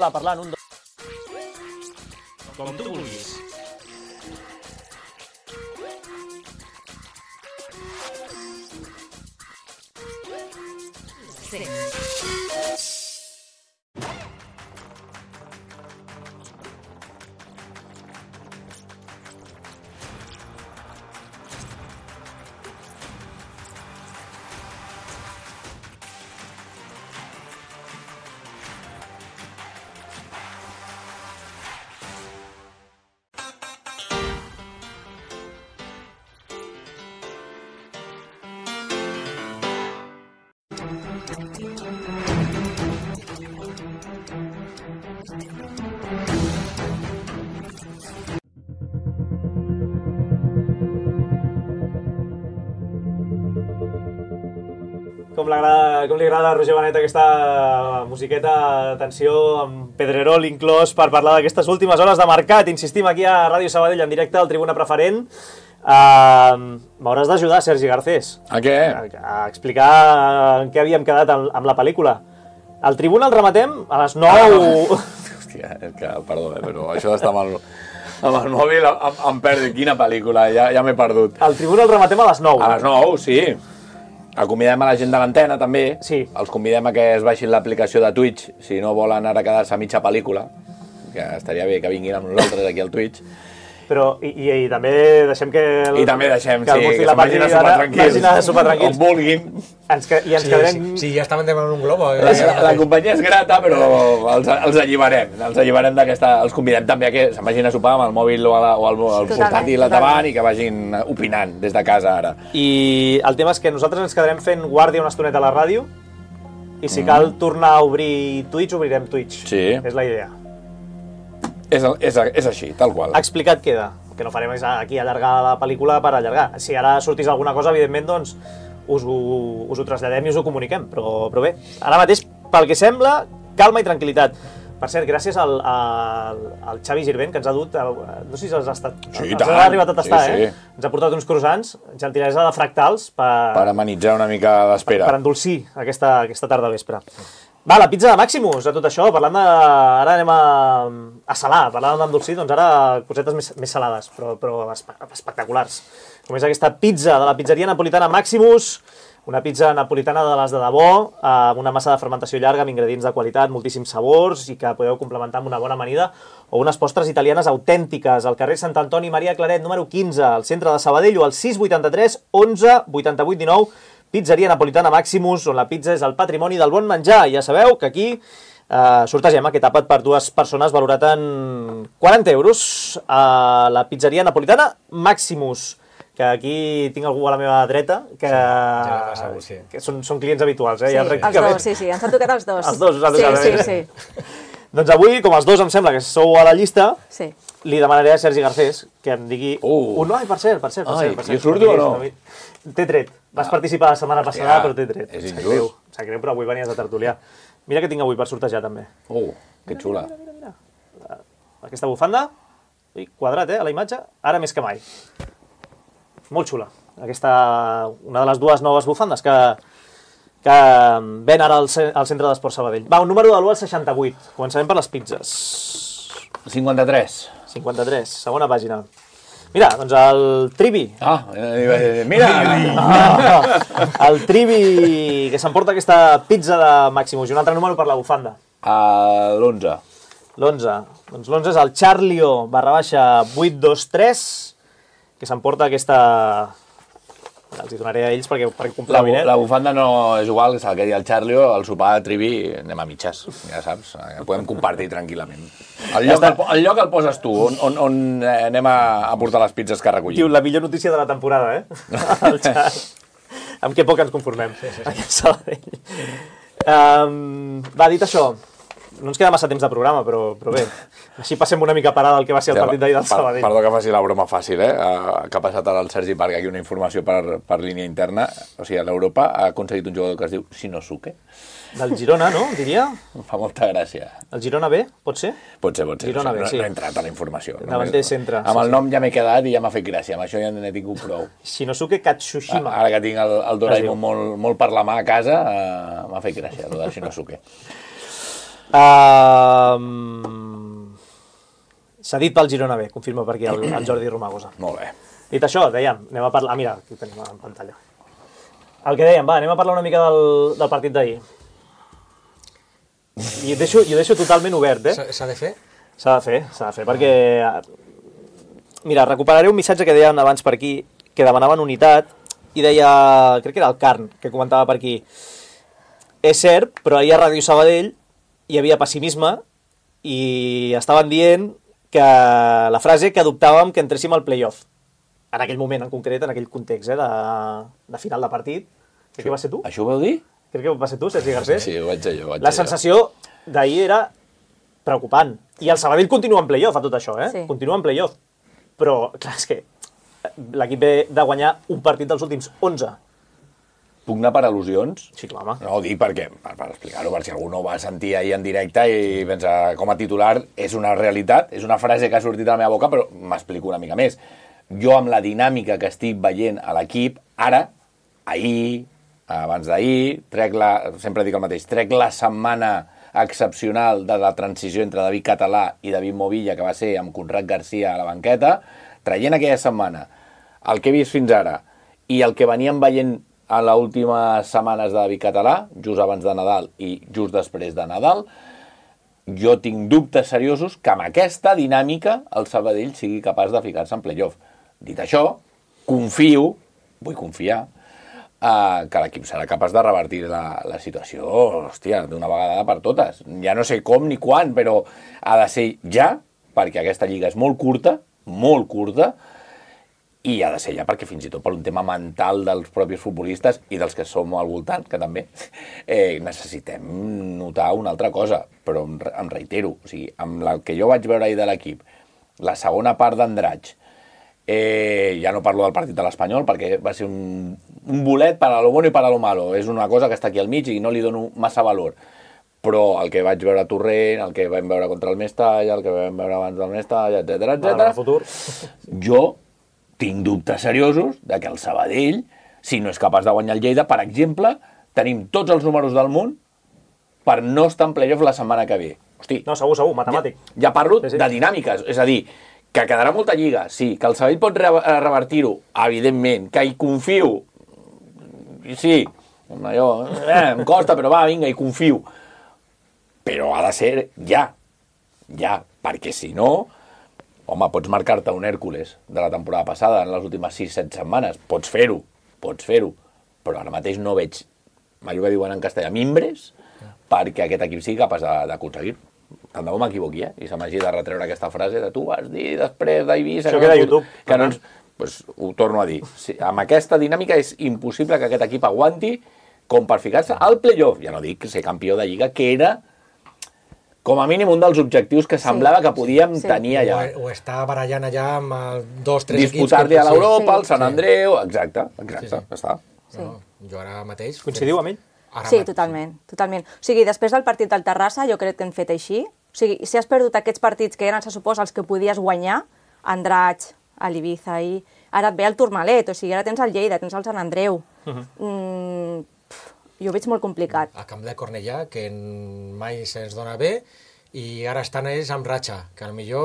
Clar, parlant un... Com tu vulguis. Sí. Com, com li agrada a Roger Benet aquesta musiqueta, tensió, amb Pedrerol inclòs per parlar d'aquestes últimes hores de mercat. Insistim aquí a Ràdio Sabadell en directe al Tribuna Preferent. Uh, M'hauràs d'ajudar, Sergi Garcés. A què? A, a explicar en què havíem quedat amb, amb la pel·lícula. El Tribuna el rematem a les nou... Ah, hòstia, és que, perdó, eh, però això d'estar amb el, amb el mòbil em, em perdo. Quina pel·lícula, ja, ja m'he perdut. El Tribuna el rematem a les nou. A les nou, sí. El convidem a la gent de l'antena, també. Sí. Els convidem a que es baixin l'aplicació de Twitch, si no volen ara quedar-se a mitja pel·lícula, que estaria bé que vinguin amb nosaltres aquí al Twitch. Però, i, i, i també deixem que... El, I també deixem, que sí, el que se'n vagin a sopar tranquils. Vagin a sopar tranquils. On vulguin. Ens que, I ens Sí, quedarem... sí, sí, ja estaven demanant un globo. Eh? La, la, la companyia és grata, però els, els alliberem. Els alliberem d'aquesta... Els convidem també a que se'n vagin a sopar amb el mòbil o, a la, o el, el Totalment, portàtil al davant i que vagin opinant des de casa ara. I el tema és que nosaltres ens quedarem fent guàrdia una estoneta a la ràdio i si mm. cal tornar a obrir Twitch, obrirem Twitch. Sí. És la idea. És, és, és així, tal qual. Explicat queda. El que no farem és aquí allargar la pel·lícula per allargar. Si ara sortís alguna cosa, evidentment, doncs us ho, us ho traslladem i us ho comuniquem. Però, però bé, ara mateix, pel que sembla, calma i tranquil·litat. Per cert, gràcies al, al, al Xavi Girvent, que ens ha dut... No sé si els ha estat... Sí, els tant. ha arribat a tastar, Sí, sí. eh? Ens ha portat uns croissants, gentilesa de fractals, per, Per amenitzar una mica per, d'espera. per endolcir aquesta, aquesta tarda vespre. Va, la pizza de Maximus, a tot això, parlant de... Ara anem a, a salar, parlant d'endolcir, doncs ara cosetes més, més salades, però, però espe- espectaculars. Com és aquesta pizza de la pizzeria napolitana Maximus, una pizza napolitana de les de debò, amb una massa de fermentació llarga, amb ingredients de qualitat, moltíssims sabors, i que podeu complementar amb una bona amanida, o unes postres italianes autèntiques, al carrer Sant Antoni Maria Claret, número quinze, al centre de Sabadell, o al sis vuitanta-tres onze vuitanta-vuit dinou, Pizzeria Napolitana Maximus, on la pizza és el patrimoni del bon menjar. Ja sabeu que aquí eh, sortegem aquest àpat per dues persones valorat en quaranta euros a la Pizzeria Napolitana Maximus, que aquí tinc algú a la meva dreta, que, ja l'ha passat, sí. que són, són clients habituals. Eh? Sí, Ja els dos, sí, sí, ens han tocat els dos. Els dos us han tocat, sí, eh? sí, sí. Doncs avui, com els dos em sembla que sou a la llista, sí. li demanaré a Sergi Garcés que em digui... Uh. Un... Ai, per cert, per cert, per Ai, cert. Per cert, jo surto o no? T'he tret. Vas participar la setmana passada, però t'he tret. és Sap injust. greu, sap greu, però avui venies de tertulià. Mira què tinc avui per sortejar, també. Uh, que xula. Aquesta bufanda, ui, quadrat, eh, a la imatge, ara més que mai. Molt xula. Aquesta, una de les dues noves bufandes que, que ven ara al, ce- al centre d'Esport Sabadell. Va, un número de l'u al seixanta-vuit. Començarem per les pizzas. cinquanta-tres. cinquanta-tres, segona pàgina. Mira, doncs el Trivi. Ah, eh, mira! Ah, el Trivi que s'emporta aquesta pizza de Maximus. I un altre número per la bufanda. A l'onze. L'onze. Doncs l'onze és el Charlio barra baixa vuit dos tres, que s'emporta aquesta... Els hi donaré a ells perquè, perquè La, comprovin, eh? la bufanda no és igual, és el que deia el Charlio, el sopar de Trivi, anem a mitges, ja saps, eh, podem compartir tranquil·lament. El lloc, el, el lloc el poses tu, on, on, on eh, anem a, a portar les pizzas que Diu, recollim. la millor notícia de la temporada, eh? El xat. Amb què poc ens conformem. Sí, sí, sí. Aquí a Sabadell. Um, va, dit això, no ens queda massa temps de programa, però, però bé, així passem una mica parada al que va ser el partit d'ahir del Sabadell. Perdó que faci la broma fàcil, eh? Uh, que ha passat ara el Sergi Parc, aquí una informació per, per línia interna. O sigui, a l'Europa ha aconseguit un jugador que es diu Shinosuke. Del Girona, no? Diria? Em fa molta gràcia. El Girona B, pot ser? Pot ser, pot ser. Girona no, sé, B, no, sí. no he entrat a la informació. Davanter Només- centre, Amb sí, el sí. nom ja m'he quedat i ja m'ha fet gràcia. Amb això ja n'he tingut prou. Shinosuke Katsushima. Ara que tinc el, el Es diu. Doraemon molt, molt per la mà a casa, uh, m'ha fet gràcia, el de Shinosuke. Um... S'ha dit pel Girona B, confirma per aquí el, el Jordi Romagosa. Molt bé. Dit això, dèiem, anem a parlar... Ah, mira, aquí tenim en pantalla. El que dèiem, va, anem a parlar una mica del, del partit d'ahir. I ho deixo, i ho deixo totalment obert, eh? S'ha s'ha de fer? S'ha de fer, s'ha de fer, perquè... Mira, recuperaré un missatge que deien abans per aquí, que demanaven unitat, i deia... Crec que era el Carn, que comentava per aquí. És cert, però ahir a Ràdio Sabadell hi havia pessimisme i estaven dient que la frase que adoptàvem que entréssim al play-off. En aquell moment en concret, en aquell context, eh, de, de final de partit. Crec que va ser tu? Això ho vau dir? Crec que va ser tu, Sergi Garcés? Sí, ho vaig dir jo. Ho vaig La dir jo. sensació d'ahir era preocupant. I el Sabadell continua en play-off a tot això, eh? Sí. Continua en play-off. Però, clar, és que l'equip ve de guanyar un partit dels últims onze. Puc anar per al·lusions? Sí, clar, home. No, ho dic perquè, per, per explicar-ho, per si algú no ho va sentir ahir en directe i pensa, com a titular, és una realitat, és una frase que ha sortit a la meva boca, però m'explico una mica més. Jo, amb la dinàmica que estic veient a l'equip, ara, ahir, abans d'ahir, trec la, sempre dic el mateix, trec la setmana excepcional de la transició entre David Català i David Movilla, que va ser amb Conrad Garcia a la banqueta, traient aquella setmana el que he vist fins ara i el que veníem veient a les últimes setmanes de David Català, just abans de Nadal i just després de Nadal, jo tinc dubtes seriosos que amb aquesta dinàmica el Sabadell sigui capaç de ficar-se en playoff. Dit això, confio, vull confiar, Uh, que l'equip serà capaç de revertir la, la situació, hòstia, d'una vegada per totes. Ja no sé com ni quan, però ha de ser ja, perquè aquesta lliga és molt curta, molt curta, i ha de ser ja perquè fins i tot per un tema mental dels propis futbolistes i dels que som al voltant, que també, eh, necessitem notar una altra cosa, però em, em reitero, o sigui, amb el que jo vaig veure ahir de l'equip, la segona part d'Andratx, Eh, ja no parlo del partit de l'Espanyol perquè va ser un, un bolet per a lo bueno i per a lo malo, és una cosa que està aquí al mig i no li dono massa valor, però el que vaig veure a Torrent, el que vam veure contra el Mestalla, el que vam veure abans del Mestalla, etcètera, etcètera, jo tinc dubtes seriosos de que el Sabadell, si no és capaç de guanyar el Lleida, per exemple, tenim tots els números del món per no estar en playoff la setmana que ve. Hosti, no, segur, segur, matemàtic. Ja, ja parlo sí, sí. de dinàmiques, és a dir, que quedarà molta lliga, sí, que el Sabadell pot re revertir-ho, evidentment, que hi confio, sí, allò, eh, em costa, però va, vinga, hi confio, però ha de ser ja, ja, perquè si no, home, pots marcar-te un Hèrcules de la temporada passada en les últimes sis set setmanes, pots fer-ho, pots fer-ho, però ara mateix no veig, allò que diuen en castellà, mimbres, perquè aquest equip sigui capaç d'aconseguir-ho. Tant de bo m'equivoqui, eh? I se m'hagi de retreure aquesta frase de tu vas dir després d'Eivissa... Això queda a YouTube. Que no ens... pues, ho torno a dir. Sí, amb aquesta dinàmica és impossible que aquest equip aguanti com per ficar-se al playoff. Ja no dic ser campió de Lliga, que era com a mínim un dels objectius que semblava sí, que podíem sí. tenir allà. O, o està barallant allà amb el dos, tres equips... Disputar-li a l'Europa, sí, al Sant Andreu... Exacte, exacte, sí, sí. està. Sí. No, jo ara mateix... Coincidiu amb ell? Ara sí, totalment, totalment. O sigui, després del partit del Terrassa, jo crec que hem fet així. O sigui, si has perdut aquests partits que eren, se suposa, els que podies guanyar, Andratx, a l'Ibiza, i ara et ve el Tourmalet, o sigui, ara tens el Lleida, tens el Sant Andreu. Uh -huh. mm, pff, jo ho veig molt complicat. A Camp de Cornellà, que mai se'ns dona bé, i ara estan ells amb ratxa, que potser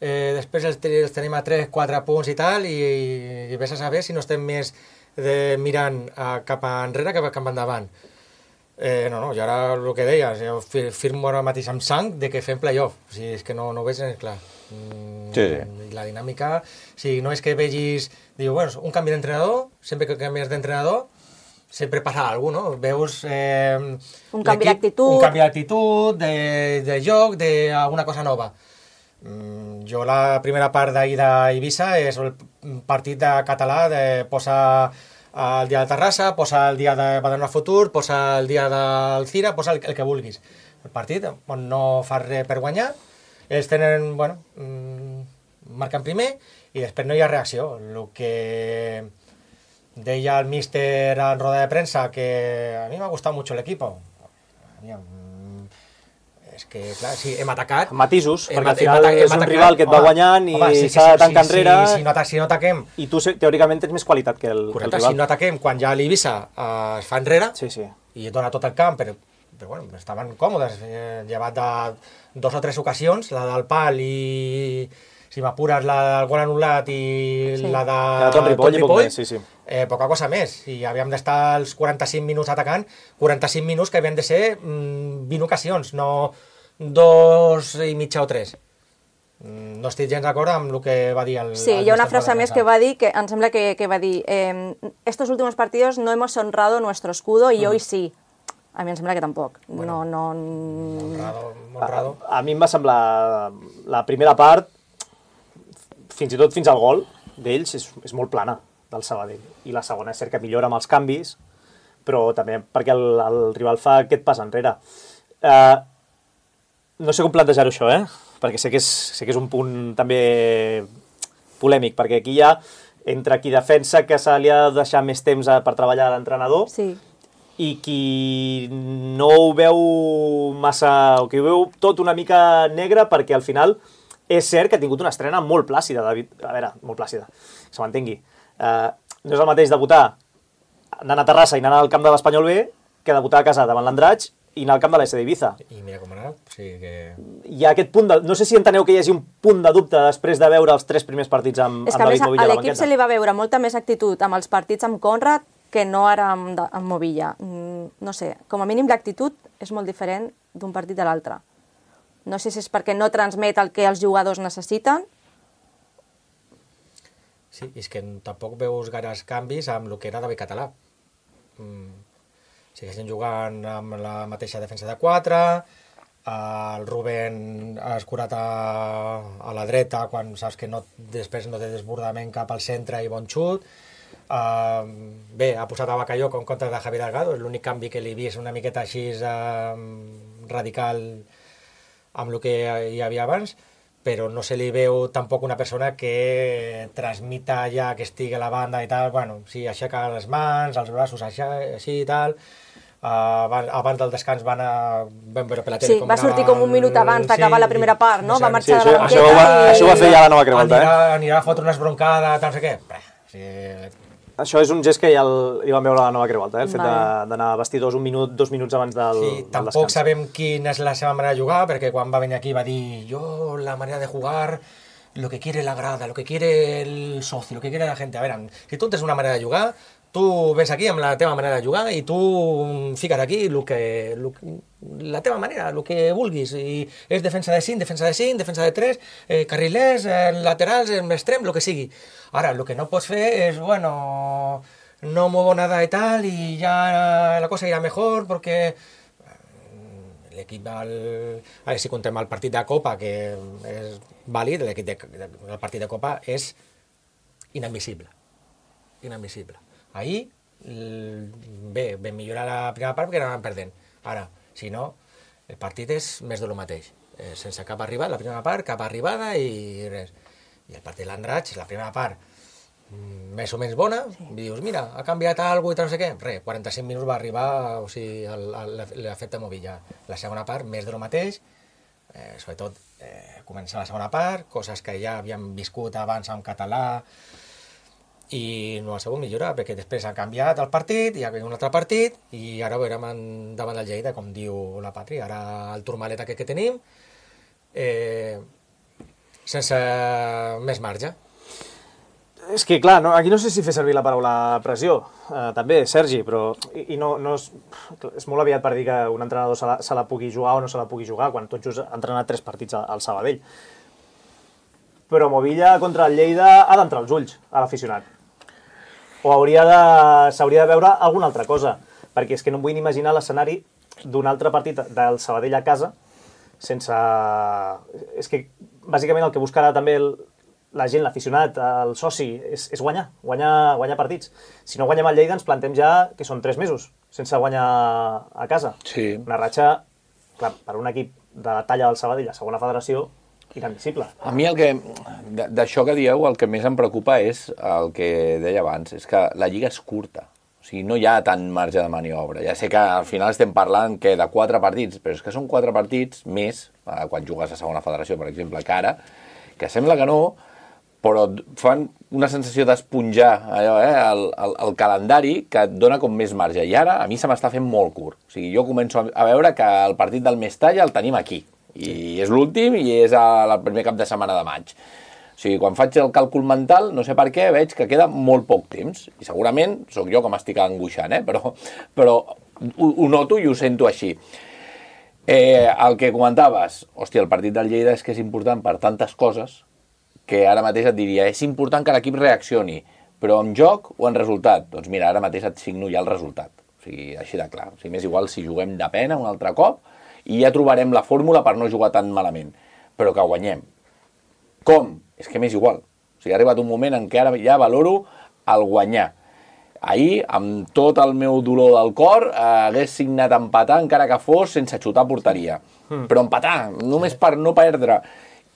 eh, després els, els tenim a tres quatre punts i tal, i, i vés a saber si no estem més de, mirant a, cap enrere que cap endavant. Eh, no, no, jo ara el que deies, jo firmo ara mateix amb sang de que fem playoff, o sigui, és que no, no ho veig clar. Mm, sí, sí. La dinàmica, o sigui, no és que vegis, diu, bueno, un canvi d'entrenador, sempre que canvies d'entrenador, sempre passa alguna cosa, no? Veus... Eh, un canvi d'actitud. Un canvi d'actitud, de, de joc, d'alguna cosa nova. Mm, jo la primera part d'ahir d'Eivissa és el partit de català, de posar el dia de Terrassa, posa el dia de Badalona Futur, posa el dia del Cira, posa el, el que vulguis. El partit on no fa res per guanyar, ells tenen, bueno, mmm, marquen primer i després no hi ha reacció. El que deia el míster en roda de premsa, que a mi m'ha gustat molt l'equip. És que, clar, sí, hem atacat... Matisos, hem, perquè al final hem, és hem un rival que et va home, guanyant i home, sí, s'ha de tancar sí, enrere... Sí, si, no, si no ataquem... I tu, teòricament, tens més qualitat que el, correcte, el rival. Si no ataquem, quan ja l'Eivissa eh, es fa enrere sí, sí. i dona tot el camp, però, però bueno, estaven còmodes, eh, llevat de dos o tres ocasions, la del pal i... si m'apures la del gol anul·lat i sí. la de... La Ton Ripoll, i poc més, sí, sí. Eh, poca cosa més. I havíem d'estar els quaranta-cinc minuts atacant, quaranta-cinc minuts que havien de ser mm, vint ocasions, no dos i mitja o tres. Mm, no estic gens d'acord amb el que va dir el... Sí, el hi ha una frase més que va dir, que em sembla que, que va dir eh, estos últimos partidos no hemos honrado nuestro escudo y uh-huh. hoy sí. A mi em sembla que tampoc. Bueno, no, no... Honrado, honrado. A, a mi em va semblar la primera part, fins i tot fins al gol d'ells, és, és molt plana, del Sabadell. I la segona és cert que millora amb els canvis, però també perquè el, el rival fa aquest pas enrere. Uh, no sé com plantejar-ho això, eh? Perquè sé que, és, sé que és un punt també polèmic, perquè aquí ja entre qui defensa que se li ha de deixar més temps per treballar a l'entrenador Sí. i qui no ho veu massa, o qui ho veu tot una mica negre, perquè al final és cert que ha tingut una estrena molt plàcida, David. A veure, molt plàcida, que se m'entengui. Uh, no és el mateix debutar anant a Terrassa i anant al camp de l'Espanyol B que debutar a casa davant l'Andratx i anar al camp de l'A S D Ibiza. I mira com ha anat, o sigui que... Hi ha aquest punt de... No sé si enteneu que hi hagi un punt de dubte després de veure els tres primers partits amb, És amb que a David més Movilla a a la l'equip banqueta. se li va veure molta més actitud amb els partits amb Conrad que no ara amb, de- amb Movilla. Mm, No sé, com a mínim l'actitud és molt diferent d'un partit a l'altre. No sé si és perquè no transmet el que els jugadors necessiten. Sí, és que tampoc veus gaires canvis amb el que era David Català. Mm. Segueixen jugant amb la mateixa defensa de quatre, el Rubén ha escurat a, a la dreta quan saps que no, després no té desbordament cap al centre i bon xut. Uh, bé, ha posat a Bacalló en compte de Javi Delgado, és l'únic canvi que li he vist una miqueta així uh, radical amb el que hi havia abans, però no se li veu tampoc una persona que transmita ja que estigui a la banda i tal, bueno, sí, aixeca les mans, els braços així, així i tal. Uh, abans, abans del descans van, a, van veure per la tele Sí, com va sortir com un minut abans d'acabar la primera part, no? Va marxar Sí, de la això, això, ho banqueta va, i... això ho va fer ja la nova Creu Alta, anirà, eh? anirà a fotre unes broncades, tal, no sé què. Bé, sí, Això és un gest que ja el, hi vam veure a la nova Creu Alta, eh? El fet Vale. de- d'anar a vestidors un minut, dos minuts abans del, sí, del tampoc descans. sabem quina és la seva manera de jugar, perquè quan va venir aquí va dir yo la manera de jugar, lo que quiere la grada, lo que quiere el socio, lo que quiere la gente. A veure, si tu tens una manera de jugar, tu vens aquí amb la teva manera de jugar i tu fiques aquí lo que, lo, la teva manera, el que vulguis. I és defensa de cinc, defensa de cinc, defensa de tres, eh, carrilers, eh, laterals, eh, extrem, el que sigui. Ara, el que no pots fer és, bueno, no muevo nada y tal y ya la cosa irá mejor porque l'equip del... A veure, si contem el partit de Copa, que és vàlid, l'equip de, el partit de Copa és inadmissible. Inadmissible. Ahir, bé, vam millorar la primera part perquè anàvem perdent. Ara, si no, el partit és més de lo mateix. Eh, sense cap arribada, la primera part, cap arribada i res. I el partit de l'Andratx, la primera part, més o menys bona, sí. Dius, mira, ha canviat alguna cosa i tal, no sé què. Res, quaranta-cinc minuts va arribar, o sigui, l'efecte Movilla. La segona part, més de lo mateix, eh, sobretot eh, comença la segona part, coses que ja havíem viscut abans en català, i no ha sabut millorar, perquè després ha canviat el partit, hi ha un altre partit, i ara ho veurem en, davant del Lleida, com diu la Patri, ara el turmalet aquest que tenim, eh, sense més marge. És que, clar, no, aquí no sé si fer servir la paraula pressió, eh, també, Sergi, però i, i no, no és, és molt aviat per dir que un entrenador se la, se la pugui jugar o no se la pugui jugar, quan tot just ha entrenat tres partits al, al Sabadell. Però Movilla contra el Lleida ha d'entrar als ulls a l'aficionat. O hauria de, s'hauria de veure alguna altra cosa, perquè és que no em vull ni imaginar l'escenari d'un altre partit del Sabadell a casa sense... És que, bàsicament, el que buscarà també el, la gent, l'aficionat, el soci, és, és guanyar, guanyar, guanyar partits. Si no guanyem el Lleida, ens plantem ja que són tres mesos sense guanyar a casa. Sí. Una ratxa, clar, per un equip de la talla del Sabadell a segona federació, inadmissible. A mi el que, d'això que dieu, el que més em preocupa és el que deia abans, és que la lliga és curta. O sigui, no hi ha tant marge de maniobra. Ja sé que al final estem parlant que de quatre partits, però és que són quatre partits més, eh, quan jugues a segona federació, per exemple, que ara, que sembla que no, però fan una sensació d'esponjar allò, eh, el, el, el calendari que et dona com més marge. I ara a mi se m'està fent molt curt. O sigui, jo començo a veure que el partit del Mestalla el tenim aquí. I sí. És l'últim i és el primer cap de setmana de maig. O sigui, quan faig el càlcul mental, no sé per què, veig que queda molt poc temps. I segurament sóc jo que m'estic angoixant, eh? però, però ho, ho noto i ho sento així. Eh, el que comentaves, hòstia, el partit del Lleida és que és important per tantes coses que ara mateix et diria, és important que l'equip reaccioni, però en joc o en resultat? Doncs mira, ara mateix et signo ja el resultat. O sigui, així de clar. O sigui, m'és igual si juguem de pena un altre cop, i ja trobarem la fórmula per no jugar tan malament, però que guanyem. Com? És que m'és igual. O sigui, ha arribat un moment en què ara ja valoro el guanyar. Ahir, amb tot el meu dolor del cor, eh, hagués signat empatar encara que fos sense xutar a porteria. Mm. Però empatar, només per no perdre.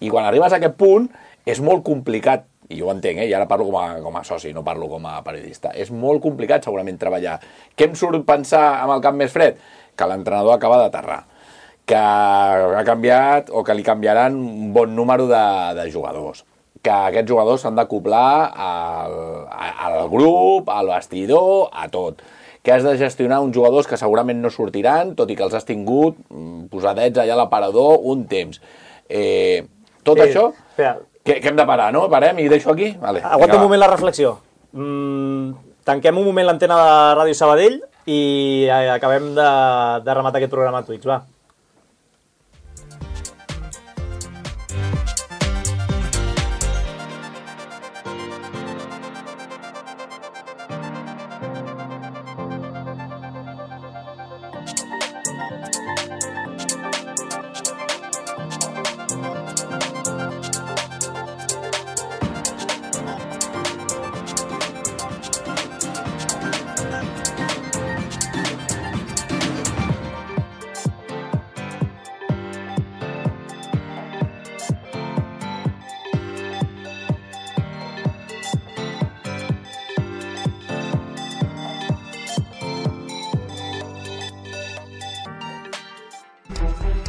I quan arribes a aquest punt, és molt complicat i jo ho entenc, eh? I ara parlo com a, com a soci, no parlo com a periodista. És molt complicat segurament treballar. Què em surt pensar amb el camp més fred? Que l'entrenador acaba d'aterrar, que ha canviat o que li canviaran un bon número de, de jugadors, que aquests jugadors s'han d'acoplar al, al grup, al vestidor, a tot, que has de gestionar uns jugadors que segurament no sortiran, tot i que els has tingut posadets allà a l'aparador un temps. Eh, tot sí, això... Espera. Que, que hem de parar, no? Parem i deixo aquí? Vale, aguanta un moment la reflexió. Mm, tanquem un moment l'antena de Ràdio Sabadell i acabem de, de rematar aquest programa a Twitch, va.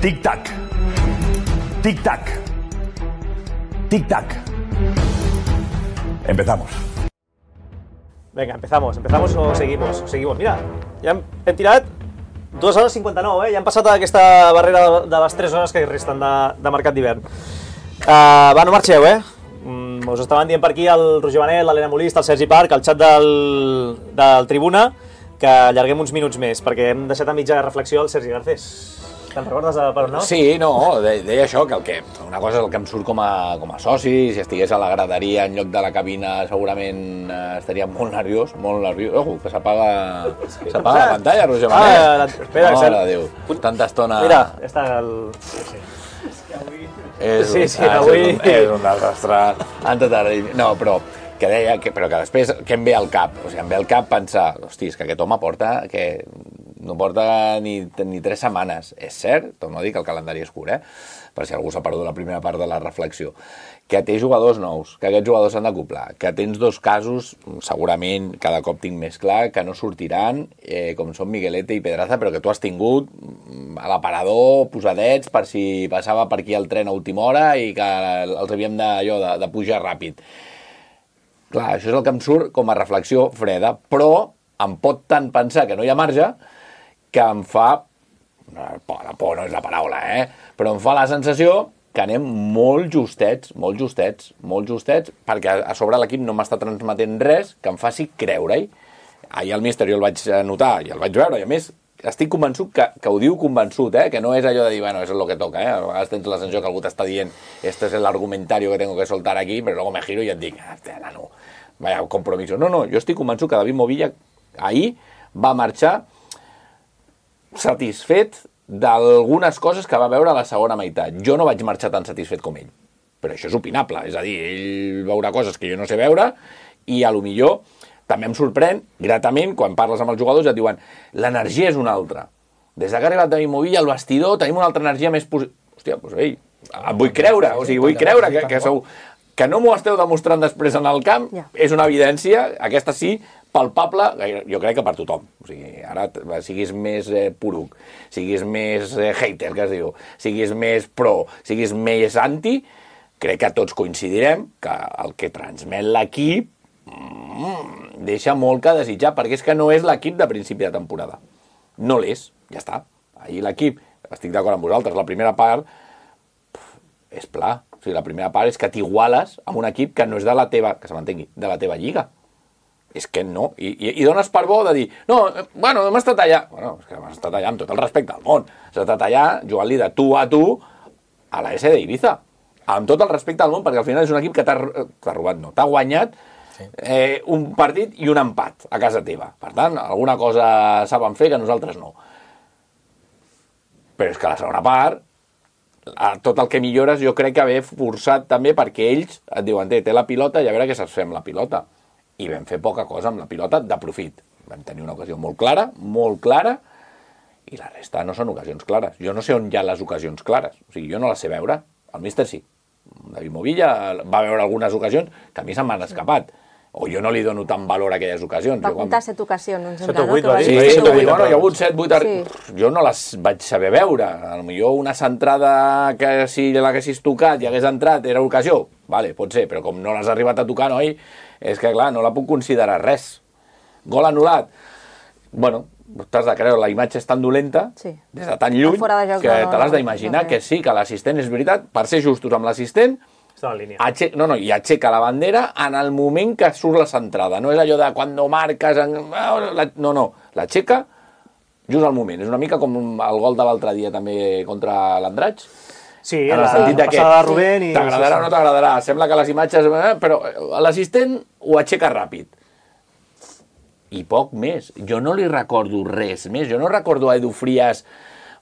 Tic-tac. Tic-tac. Tic-tac. Empezamos. Venga, empezamos. ¿Empezamos o seguimos? Seguimos. Mira, ja hem, hem tirat dues hores cinquanta-nou, eh? Ja hem passat aquesta barrera de les tres hores que resten de, de mercat d'hivern. Uh, va, no marxeu, eh? Mm, us estaven dient per aquí el Roger Benet, l'Helena Molist, el Sergi Parc, el xat del, del Tribuna, que allarguem uns minuts més, perquè hem deixat a mitja reflexió el Sergi Garcés. Te'n recordes per on no? Sí, no, deia això, que, el que una cosa és el que em surt com a, com a soci, si estigués a la graderia en lloc de la cabina segurament eh, estaria molt nerviós, molt nerviós. Ojo, que s'apaga s'apaga la pantalla, Roger Benet. Ah, la, espera, no, mare de Déu, tanta estona... Mira, està el... És, sí, sí, ah, avui... és, un, és un desastre. No, però que deia que, però que després què em ve al cap? O sigui, em ve al cap pensar, hosti, és que aquest home porta que no porta ni, ni tres setmanes. És cert, torno a dir que el calendari és curt, eh? Per si algú s'ha perdut la primera part de la reflexió. Que té jugadors nous, que aquests jugadors s'han d'acoplar, que tens dos casos, segurament cada cop tinc més clar, que no sortiran, eh, com són Miguelete i Pedraza, però que tu has tingut a l'aparador posadets per si passava per aquí el tren a última hora i que els havíem de, allò, de, de pujar ràpid. Clar, això és el que em surt com a reflexió freda, però em pot tant pensar que no hi ha marge que em fa, por, la por no és la paraula, eh? Però em fa la sensació que anem molt justets, molt justets, molt justets, perquè a sobre l'equip no m'està transmetent res que em faci creure-hi. Ahir al míster jo el vaig notar i el vaig veure, i a més estic convençut que, que ho diu convençut, eh? Que no és allò de dir, bueno, eso es lo que toca, eh? A vegades tens la sensació que algú t'està dient este es el argumentario que tengo que soltar aquí, però luego me giro i et dic, hòstia, nano, vaya compromiso. No, no, jo estic convençut que David Movilla ahir va marxar satisfet d'algunes coses que va veure a la segona meitat. Jo no vaig marxar tan satisfet com ell, però això és opinable, és a dir, ell veurà coses que jo no sé veure i a lo millor també em sorprèn gratament quan parles amb els jugadors i et diuen l'energia és una altra. Des que ha arribat David Movilla al vestidor tenim una altra energia més positiva. Hòstia, doncs ei, em vull creure, o sigui, vull creure que, que, sou, que no m'ho esteu demostrant després en el camp, és una evidència, aquesta sí, palpable, jo crec que per tothom. O sigui, ara siguis més eh, poruc, siguis més eh, hater, que es diu, siguis més pro, siguis més anti, crec que tots coincidirem que el que transmet l'equip mm, deixa molt que desitjar, perquè és que no és l'equip de principi de temporada. No l'és, ja està. Ahir l'equip, estic d'acord amb vosaltres, la primera part pf, és pla. O sigui, la primera part és que t'iguales amb un equip que no és de la teva, que se m'entengui, de la teva lliga. És que no, I, i, i dones per bo de dir no, bueno, hem estat allà. Bueno, és que hem estat allà amb tot el respecte al món. Has estat allà jugant-li de tu a tu a la S d'Ibiza. Amb tot el respecte al món, perquè al final és un equip que t'ha robat, no, t'ha guanyat eh, un partit i un empat a casa teva. Per tant, alguna cosa saben fer que nosaltres no. Però és que la segona part, tot el que millores jo crec que haver forçat també perquè ells et diuen, té la pilota i a veure què saps fer amb la pilota. I vam fer poca cosa amb la pilota de profit. Vam tenir una ocasió molt clara, molt clara, i la resta no són ocasions clares. Jo no sé on hi ha les ocasions clares. O sigui, jo no les sé veure. El míster sí. David Movilla va veure algunes ocasions que a mi se'm van escapat. O jo no li dono tant valor a aquelles ocasions. Va Jo quan- comptar set ocasions, em Set sembla, o no? vuit, Que va va dir dir. Sí, Sí, sí, sí, sí, sí. bueno, hi ha hagut set, vuit... Sí. Jo no les vaig saber veure. A lo millor una centrada que si l'haguessis tocat i hagués entrat era ocasió. Vale, pot ser, però com no l'has arribat a tocar, noi, és que, clar, no la puc considerar res. Gol anul·lat. Bueno, t'has de creure, la imatge és tan dolenta, Sí. des de tan lluny, Fora de joc, que no, no, te l'has no, d'imaginar no, no. que sí, que l'assistent és veritat, per ser justos amb l'assistent, Està en línia. Ache... No, no, i aixeca la bandera en el moment que surt la centrada. No és allò de quan no marques... En... No, no, l'aixeca just al moment. És una mica com el gol de l'altre dia també contra l'Andratx. Sí, En el la sentit de que passada de Rubén i... t'agradarà o no t'agradarà. Sembla que les imatges... eh, Però l'assistent ho aixeca ràpid. I poc més. Jo no li recordo res més. Jo no recordo a Edu Frias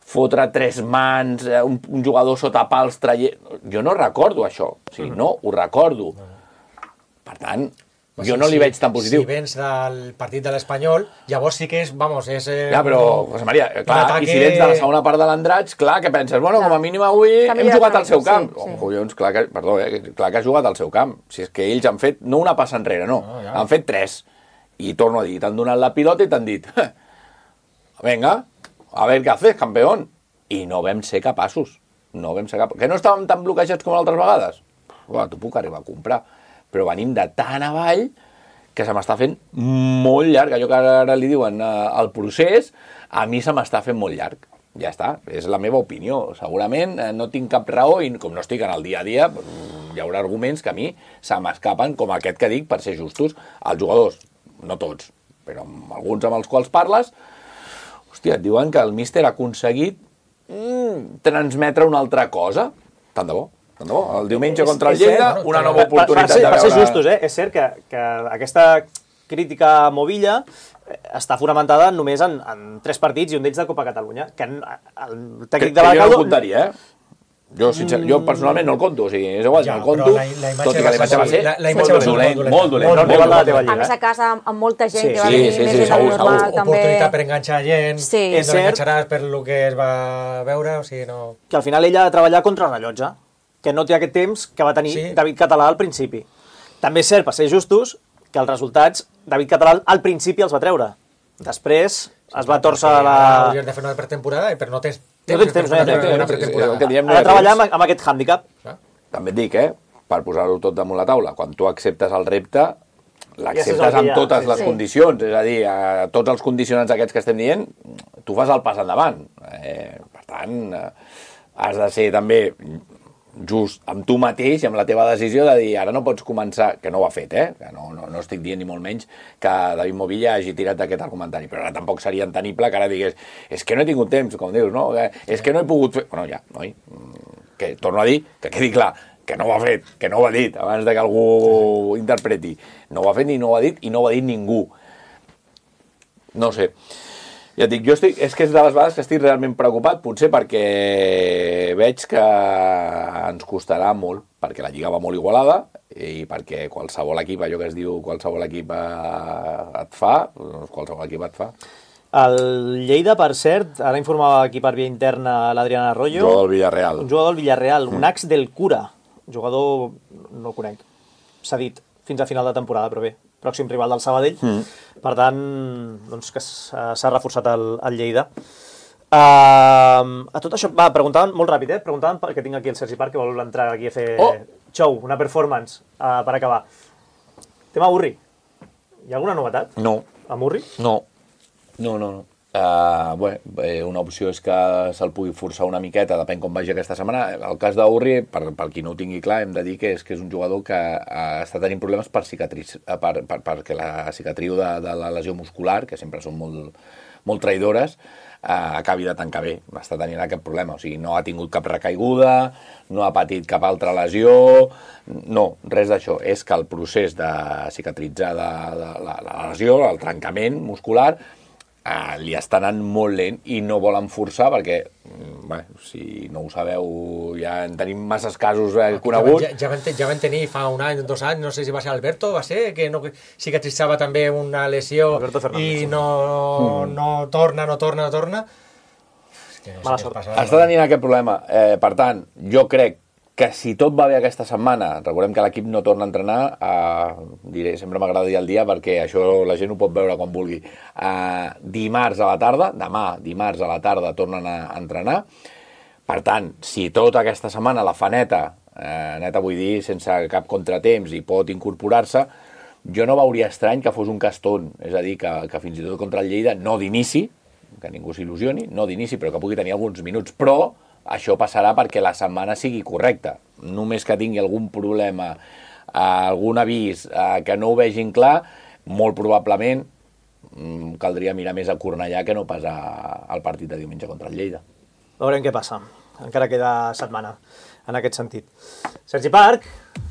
fotre tres mans, eh, un, un jugador sota pals traient... Jo no recordo això. O sigui, no ho recordo. Per tant, jo no li veig tan positiu. Si vens del partit de l'Espanyol, llavors sí que és, vamos, és... Eh, Ja, però, José Maria, clar, ataque- i si vens de la segona part de l'Andratx, clar, que penses? Bueno, Clar. com a mínim avui Que hem millor jugat camp, al seu sí, camp. sí. Oh, collons, clar que, perdó, eh, clar que has jugat al seu camp. Si és que ells han fet, no una passa enrere, no, No, ja. han fet tres. I torno a dir, t'han donat la pilota i t'han dit, venga, a ver què haces, campeón. I no vam ser capaços. No vam ser capaços. Que no estàvem tan bloquejats com altres vegades? Uah, t'ho puc arribar a comprar. Però venim de tan avall que se m'està fent molt llarg. Allò que ara li diuen eh, el procés, a mi se m'està fent molt llarg. Ja està, és la meva opinió. Segurament eh, no tinc cap raó i com no estic en el dia a dia, doncs, hi haurà arguments que a mi se m'escapen, com aquest que dic, per ser justos. Els jugadors, no tots, però amb alguns amb els quals parles, hòstia, et diuen que el míster ha aconseguit mm, transmetre una altra cosa. Tant de bo. Tant de bo. El diumenge contra el És- és Lleida, cert, una per- nova per- oportunitat per ser, de per veure... ser justos, eh? És cert que, que aquesta crítica a Movilla eh, està fonamentada només en, en tres partits i un d'ells de Copa Catalunya, que en- el Que, tècnic que de jo no Baracaldo... el contaria, eh? Jo, sincer, jo personalment no el conto, o sigui, és igual, Ja, no el conto, però la- la imatge tot i que va la imatge ser va ser molt- la- la molt, imatge va ser dolent, molt molt dolent, dolenta. No, molt rival de la dolent. teva A lliga. més a casa, amb, amb molta gent Sí, que va sí, venir sí, més sí, gent del segur, normal, segur. també. Oportunitat per enganxar gent, Sí. que És no cert. enganxaràs per lo que es va veure, o sigui, no... que al final ella ha de treballar contra el rellotge, que no té aquest temps que va tenir Sí. David Català al principi. També és cert, per ser justos, que els resultats David Català al principi els va treure. Després es va torçar Perquè la... ara hauries de fer una pretemporada, però no tens No tens temps, no hi ha per fer temps. una pretemporada. El que diem, Ha de treballar amb, amb aquest hàndicap. També et dic, eh, per posar-ho tot damunt la taula, quan tu acceptes el repte, Ja saps el l'acceptes que amb hi ha, totes sí, les sí. condicions, és a dir, a tots els condicionants aquests que estem dient, tu fas el pas endavant. Eh, per tant, eh, has de ser també just amb tu mateix i amb la teva decisió de dir, ara no pots començar, que no ho ha fet, eh? Que no, no, no estic dient ni molt menys que David Movilla hagi tirat d'aquest argumentari, però ara tampoc seria entenible que ara digués, és que no he tingut temps, com dius, no? Que, és que no he pogut fer... Bueno, ja, noi, que torno a dir, que quedi clar, que no ho ha fet, que no ho ha dit, abans de que algú interpreti. No ho ha fet ni no ho ha dit i no ho ha dit ningú. No sé. Ja et dic, jo estic, és que és de les vegades que estic realment preocupat, potser perquè veig que ens costarà molt, perquè la Lliga va molt igualada i perquè qualsevol equip, allò que es diu qualsevol equip eh, et fa, doncs qualsevol equip et fa. El Lleida, per cert, ara informava aquí per via interna l'Adriana Arroyo, Jugador del Villarreal. un jugador del Villarreal, un ax del Cura, jugador, no el conec, s'ha dit fins a final de temporada, però bé, pròxim rival del Sabadell. Mm. Per tant, doncs que s'ha s'ha reforçat el, el Lleida. Uh, a tot això, va, preguntaven, molt ràpid, eh? Preguntaven, perquè tinc aquí el Sergi Parc, que vol entrar aquí a fer Oh! show, una performance, uh, per acabar. Tema Urri. Hi ha alguna novetat No, amb Urri? no. No, no, no. Uh, bé, eh, una opció és que se'l pugui forçar una miqueta, depèn com vagi aquesta setmana. El cas d'Urri, per, per qui no ho tingui clar, hem de dir que és, que és un jugador que uh, està tenint problemes per cicatriz, uh, per, per, perquè la cicatriu de, de la lesió muscular, que sempre són molt, molt traïdores, uh, acabi de tancar bé. Està tenint aquest problema, o sigui, no ha tingut cap recaiguda, no ha patit cap altra lesió, no, res d'això. És que el procés de cicatritzar de, de, de la, la lesió, el trencament muscular, Uh, li està anant molt lent i no volen forçar perquè, bé, si no ho sabeu, ja en tenim masses casos eh, coneguts. Ja, ja, van, ja van tenir fa un any, dos anys, no sé si va ser Alberto, va ser, que no cicatritzava també una lesió i no, mm. no torna, no torna, no torna. És que no Mala sé sort. què passa. Està tenint aquest problema. Eh, per tant, jo crec que si tot va bé aquesta setmana, recordem que l'equip no torna a entrenar, eh, diré, sempre m'agrada dir el dia perquè això la gent ho pot veure quan vulgui, eh, dimarts a la tarda, demà, dimarts a la tarda, tornen a entrenar. Per tant, si tota aquesta setmana la fa neta, eh, neta vull dir sense cap contratemps i pot incorporar-se, jo no veuria estrany que fos un caston, és a dir, que, que fins i tot contra el Lleida, no d'inici, que ningú s'il·lusioni, no d'inici, però que pugui tenir alguns minuts, però això passarà perquè la setmana sigui correcta. Només que tingui algun problema, eh, algun avís eh, que no ho vegin clar, molt probablement mm, caldria mirar més a Cornellà que no pas a, al partit de diumenge contra el Lleida. Veurem què passa. Encara queda setmana en aquest sentit. Sergi Parc,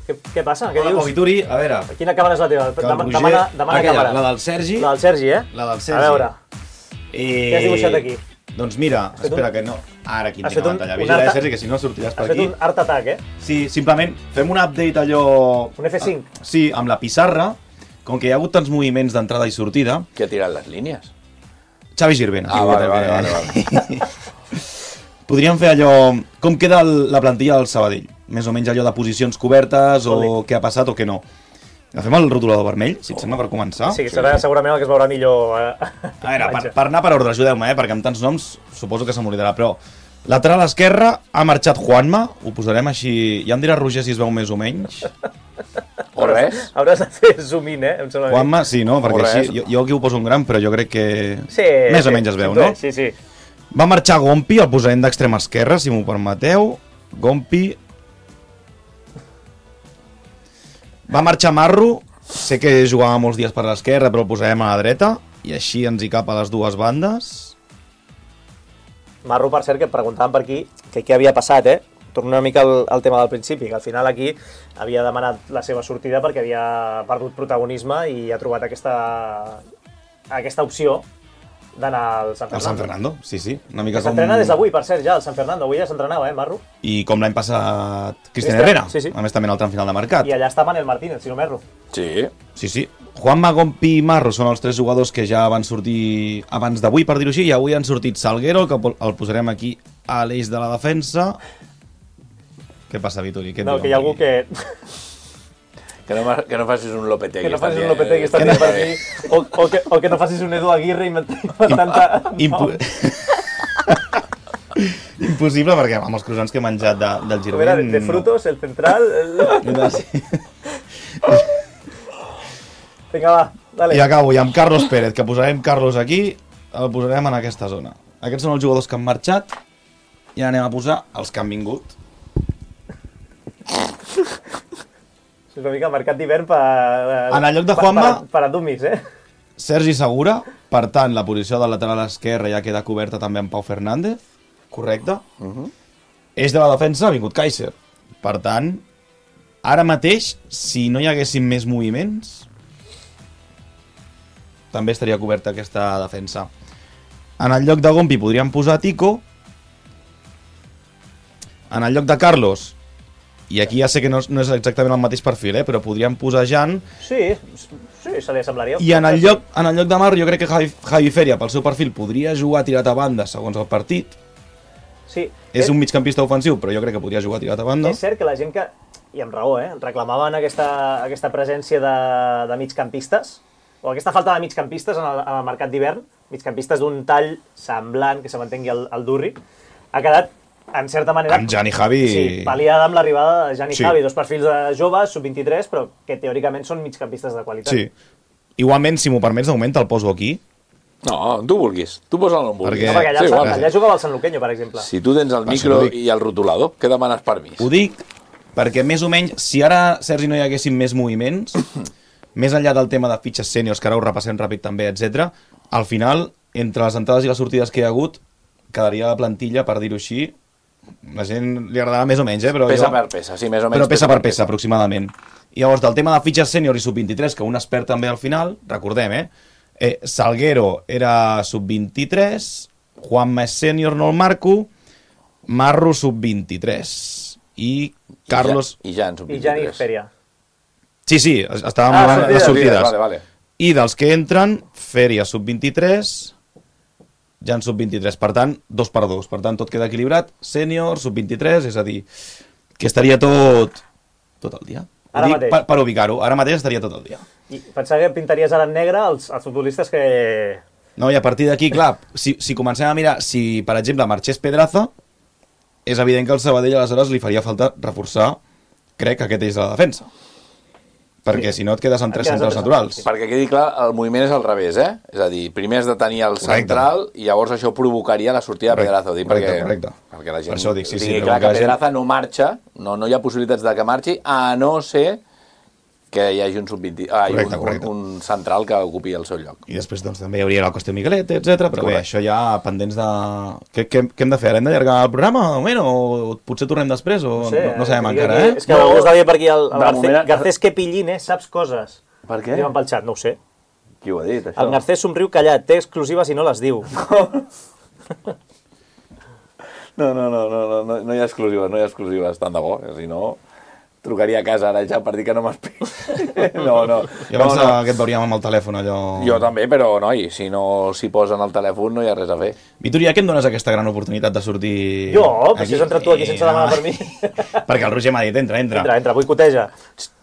què, què passa? Què Hola, dius? Povituri, a veure... Quina càmera és la teva? Que el Demana, Roger... demana, demana Aquella, càmera. la del Sergi. La del Sergi, eh? La del Sergi. A veure, I... què has dibuixat aquí? Doncs mira, fet espera un- que no... Ara aquí en Has tinc fet a un- pantalla. un Vigila, art- eh, Sergi, que si no sortiràs per Has fet aquí. un art attack, eh? Sí, simplement fem un update allò... Un F cinc. Sí, amb la pissarra, com que hi ha hagut tants moviments d'entrada i sortida... Qui ha tirat les línies? Xavi Girvena. Ah, sí, vale, també. vale, vale, vale. Podríem fer allò... Com queda el, la plantilla del Sabadell? Més o menys allò de posicions cobertes o Ole. què ha passat o què no. Agafem el rotulador vermell, si et sembla, per començar. Sí, serà segurament el que es veurà millor. Eh? A veure, per, per anar per ordre, ajudeu-me, eh, perquè amb tants noms suposo que se m'oblidarà, però lateral esquerra ha marxat Juanma, ho posarem així, ja em dirà Roger si es veu més o menys. O res? Hauràs de fer zoom in, eh? Em sembla a mi. Juanma, sí, no? Perquè O res. així, jo, jo aquí ho poso en gran, però jo crec que Sí, més sí, o menys es veu, sí, no? Sí, sí. Va marxar Gompi, el posarem d'extrema esquerra, si m'ho permeteu. Gompi. Va marxar Marro, sé que jugava molts dies per l'esquerra, però el posarem a la dreta, i així ens hi cap a les dues bandes. Marro, per cert, que et preguntaven per aquí que què havia passat, eh? Torno una mica al, al tema del principi, que al final aquí havia demanat la seva sortida perquè havia perdut protagonisme i ha trobat aquesta, aquesta opció d'anar al San El Fernando. San Fernando, sí, sí. Una mica com... S'entrena des d'avui, per cert, ja, el San Fernando. Avui ja s'entrenava, eh, Marro? I com l'any passat Cristian Cristian, Herrera, sí, sí. a més també en el tram final de mercat. I allà està Manel Martínez, si no m'erro. Sí. Sí, sí. Juanma, Gompi i Marro són els tres jugadors que ja van sortir abans d'avui, per dir-ho així, i avui han sortit Salguero, que el posarem aquí a l'eix de la defensa. Què passa, Vitori? Què et No, diuen que hi ha per algú aquí? que... Que no, ma- que no facis un Lopetegui. Que no facis estan un dient. Lopetegui, està Que dient no- per aquí, o, o, que, o que no facis un Edu Aguirre inventant... Impo... Impossible, perquè amb els croissants que he menjat de, del A veure, Girvent... de frutos, el central... El... No. Sí. Vinga, va, dale. I acabo, i amb Carlos Pérez, que posarem Carlos aquí, el posarem en aquesta zona. Aquests són els jugadors que han marxat, i ara anem a posar els que han vingut. És una mica mercat d'hivern per... En el lloc de per- Juanma- Per, per a dummies, eh? Sergi Segura, per tant, la posició del lateral esquerre ja queda coberta també amb Pau Fernández, correcte? Uh -huh. Eix de la defensa ha vingut Kaiser. Per tant, ara mateix, si no hi haguessin més moviments, també estaria coberta aquesta defensa. En el lloc de Gompi podríem posar Tico. En el lloc de Carlos, i aquí ja sé que no, no és exactament el mateix perfil, eh, però podríem posar Jan. Sí, sí, se li assemblaria. I en el lloc, en el lloc de Marro jo crec que Javi, Javi Feria, pel seu perfil, podria jugar tirat a banda segons el partit. Sí. És un migcampista ofensiu, però jo crec que podria jugar tirat a banda. És cert que la gent que, i amb raó, eh, reclamaven aquesta, aquesta presència de, de migcampistes, o aquesta falta de migcampistes en el, en el mercat d'hivern, migcampistes d'un tall semblant, que se mantengui el, el Durri, ha quedat, en certa manera... Amb Jan i Javi... Sí, pal·liada amb l'arribada de Jan i Sí. Javi, dos perfils de joves, sub vint-i-tres, però que teòricament són migcampistes de qualitat. Sí. Igualment, si m'ho permets, de moment te'l poso aquí. No, tu vulguis. Tu posa'l on vulguis. Perquè- No, perquè allà, Sí, sí, igual. allà jugava el Sant Luqueño, per exemple. Si tu tens el Va, micro si no dic- i el rotulador, què demanes permís? Ho dic perquè més o menys, si ara, Sergi, no hi haguessin més moviments, més enllà del tema de fitxes sèniors, que ara ho repassem ràpid també, etcètera, al final, entre les entrades i les sortides que hi ha hagut, quedaria la plantilla, per dir-ho així, la gent li agradarà més o menys, eh? Però Peça jo... per peça, sí, més o menys. Però peça per peça, aproximadament. I llavors, del tema de fitxes sènior i sub vint-i-tres, que un es perd també al final, recordem, eh? eh Salguero era sub vint-i-tres, Juanma és sènior, no el marco, Marro sub vint-i-tres, i Carlos... I Jan, sub I Jan i vint-i-tres. Feria. Sí, sí, estàvem Ah, parlant de les sortides, sortides. Vale, vale. I dels que entren, Feria sub vint-i-tres, Jan sub vint-i-tres. Per tant, dos per dos. Per tant, tot queda equilibrat. Sènior, sub vint-i-tres, és a dir, que estaria tot, tot el dia. Ara Dic mateix. Per, per ubicar-ho, ara mateix estaria tot el dia. I pensava que pintaries ara en negre els, els futbolistes que... No, i a partir d'aquí, clar, si, si comencem a mirar, si, per exemple, marxés Pedraza, és evident que el Sabadell aleshores li faria falta reforçar, crec, aquest eix de la defensa. Perquè si no et quedes amb tres centrals naturals. Perquè quedi clar, el moviment és al revés, eh? És a dir, primer has de tenir el central i llavors això provocaria la sortida de Pedraza. Dic, correcte, perquè, correcte. perquè la gent Per això dic, sí, sí, digui però clar que que la gent- Pedraza no marxa, no, no hi ha possibilitats de que marxi, a no ser que hi hagi un, sub vint, ah, Correcte, un, correcte. un, un central que ocupi el seu lloc. I després doncs, també hi hauria la qüestió Miguelet, etcètera. Però bé, Correcte. això ja pendents de... Què, què, què hem de fer? Ara hem d'allargar el programa, de moment? O potser tornem després? O no, sé, no, no sabem que- encara, que- eh? És que algú està dient per aquí, el, el De Garcés, moment- Garcés que pillines, saps coses. Per què? Diuen pel xat, no ho sé. Qui ho ha dit, això? El Garcés somriu callat, té exclusives i no les diu. No, no, no, no, no, no, no hi ha exclusives, no hi ha exclusives, tant de bo, si no trucaria a casa ara ja per dir que no m'esperi. No, no. I abans no, no. que et veuríem amb el telèfon, allò... Jo també, però, noi, si no s'hi posen al telèfon no hi ha res a fer. Vitori, a què em dones aquesta gran oportunitat de sortir... Jo? Però si has entrat tu aquí sense demanar per mi. Perquè el Roger m'ha dit, entra, entra. Entra, entra, boicoteja.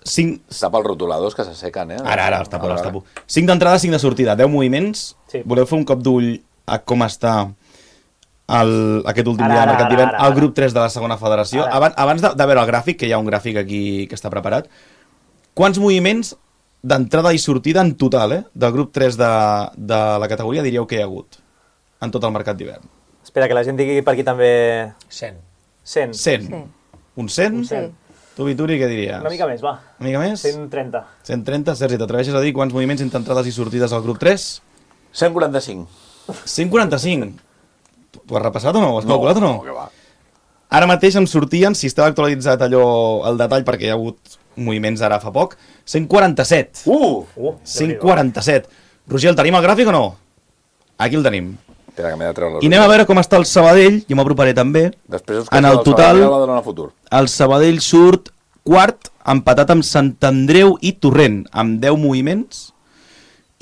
Cinc... Tapa els rotuladors que s'assequen, eh? Ara, ara, els tapo, Ara, els ara. tapo. Cinc d'entrada, cinc de sortida, deu moviments. Sí. Voleu fer un cop d'ull a com està el, aquest últim Ara, dia de ara, mercat ara, d'hivern ara, al ara. grup tres de la segona federació. Ara. Abans, abans de, de veure el gràfic, que hi ha un gràfic aquí que està preparat, quants moviments d'entrada i sortida en total, eh, del grup tres de, de la categoria diríeu que hi ha hagut en tot el mercat d'hivern? Espera, que la gent digui per aquí també... cent. cent. cent. Sí. Un cent? Sí. Tu, Vituri, què diries? Una mica més, va. Una mica més? cent trenta. cent trenta. Sergi, t'atreveixes a dir quants moviments entre entrades i sortides al grup tres? cent quaranta-cinc. cent quaranta-cinc. T'ho has repassat o no? Ho has calculat o no? No, que va. Ara mateix em sortien, si estava actualitzat allò, el detall, perquè hi ha hagut moviments ara fa poc, cent quaranta-set. Uh! Uh, cent quaranta-set. Roger, el tenim al gràfic o no? Aquí el tenim. Espera, que m'he de treure les I anem a veure com està el Sabadell, jo m'aproparé també. Després us En el queixeu del total, Sabadell a la Badalona Futur. el Sabadell surt quart, empatat amb Sant Andreu i Torrent, amb deu moviments,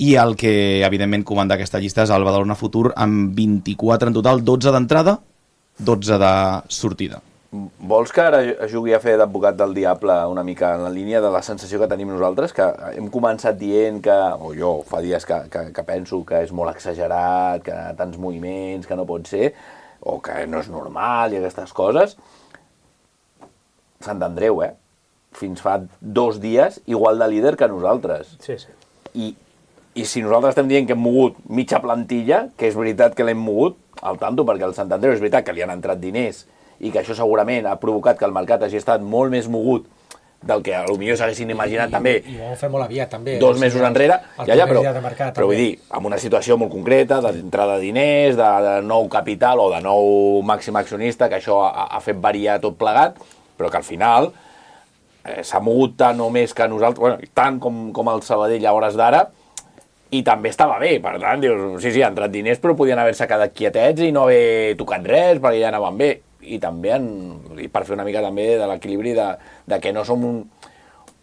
i el que, evidentment, comanda aquesta llista és el Badalona Futur, amb vint-i-quatre en total, dotze d'entrada, dotze de sortida. Vols que ara jugui a fer d'advocat del diable una mica en la línia de la sensació que tenim nosaltres, que hem començat dient que, o jo fa dies que, que, que penso que és molt exagerat, que tants moviments, que no pot ser, o que no és normal i aquestes coses. Sant Andreu, eh? Fins fa dos dies igual de líder que nosaltres. Sí, sí. I, i si nosaltres estem dient que hem mogut mitja plantilla, que és veritat que l'hem mogut, al tanto, perquè el Sant Andreu és veritat que li han entrat diners i que això segurament ha provocat que el mercat hagi estat molt més mogut del que potser s'haguessin imaginat I, també I, i ho vam fer molt aviat, també. dos O sigui, mesos enrere, el ja, ja, primer però, dia de mercat, però vull també. dir, amb una situació molt concreta, d'entrada de diners, de, de nou capital o de nou màxim accionista, que això ha, ha fet variar tot plegat, però que al final eh, s'ha mogut tant o més que nosaltres, bueno, tant com, com el Sabadell a hores d'ara, i també estava bé, per tant, dius, sí, sí, han entrat diners, però podien haver-se quedat quietets i no haver tocat res, perquè ja anaven bé. I també, en, i per fer una mica també de l'equilibri de, de que no som un,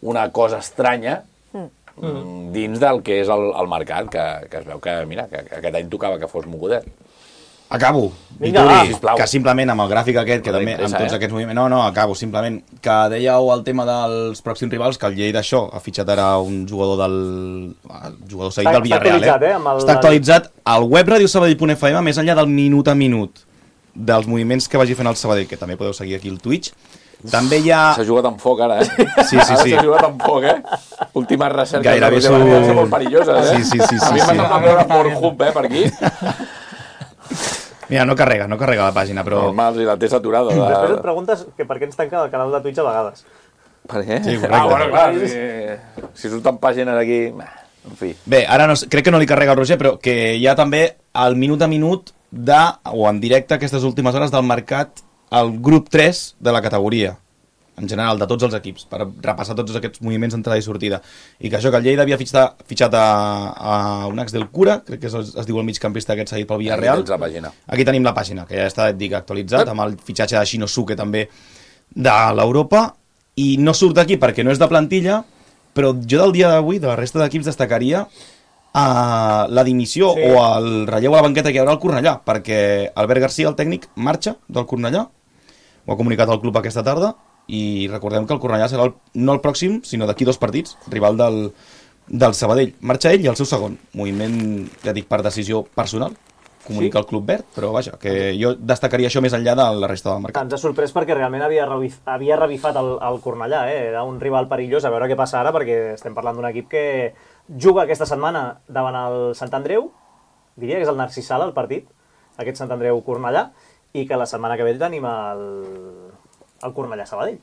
una cosa estranya mm. dins del que és el, el mercat, que, que es veu que, mira, que, que aquest any tocava que fos mogudet. Acabo. Vinga, Vituri, va. Sisplau. que simplement amb el gràfic aquest, que No també amb t'interessa, tots eh? aquests moviments... No, no, acabo, simplement. Que dèieu el tema dels pròxims rivals, que el Lleida això ha fitxat ara un jugador del... el jugador seguit Està- del està Villarreal, actualitzat, eh, amb el- Està actualitzat al web radio sabadell punt f m, més enllà del minut a minut dels moviments que vagi fent el Sabadell, que també podeu seguir aquí al Twitch. També hi ha... S'ha jugat amb foc, ara, eh? Sí, sí, Ara sí. s'ha jugat amb foc, eh? Últimes recerques Gairebé de s'ho- Roger són molt perilloses, eh? Sí, sí, sí, A sí, mi sí. m'ha semblat veure Pornhub, eh, per aquí. Mira, no carrega, no carrega la pàgina, però... Normal, si la té saturada. La... Després et preguntes que per què ens tanquen el canal de Twitch a vegades. Per què? Sí, correcte. Ah, bueno, clar, si, si surten pàgines aquí... En fi. Bé, ara no, crec que no li carrega el Roger, però que hi ha també el minut a minut de, o en directe aquestes últimes hores del mercat, el grup tres de la categoria, en general, de tots els equips, per repassar tots aquests moviments d'entrada i sortida. I que això, que el Lleida havia fitxat, fitxat a, a un ex del Cura, crec que es, es diu el migcampista aquest seguit pel Villarreal. Aquí tens la pàgina. Aquí tenim la pàgina, que ja està, et dic, actualitzat, amb el fitxatge de Shinosuke també de l'Europa, i no surt d'aquí perquè no és de plantilla, però jo del dia d'avui, de la resta d'equips, destacaria uh, la dimissió Sí. o el relleu a la banqueta que hi haurà al Cornellà, perquè Albert Garcia, el tècnic, marxa del Cornellà, ho ha comunicat el club aquesta tarda, i recordem que el Cornellà serà el, no el pròxim, sinó d'aquí dos partits, rival del, del Sabadell. Marxa ell i el seu segon. Moviment, ja dic, per decisió personal, comunica sí? el Club Verd, però vaja, que jo destacaria això més enllà de la resta del mercat. Ens ha sorprès perquè realment havia, revif, havia revifat el, el Cornellà, eh? Era un rival perillós, a veure què passa ara, perquè estem parlant d'un equip que juga aquesta setmana davant el Sant Andreu, diria que és el Narcís Sala, el partit, aquest Sant Andreu-Cornellà, i que la setmana que ve tenim el, el Cornellà-Sabadell.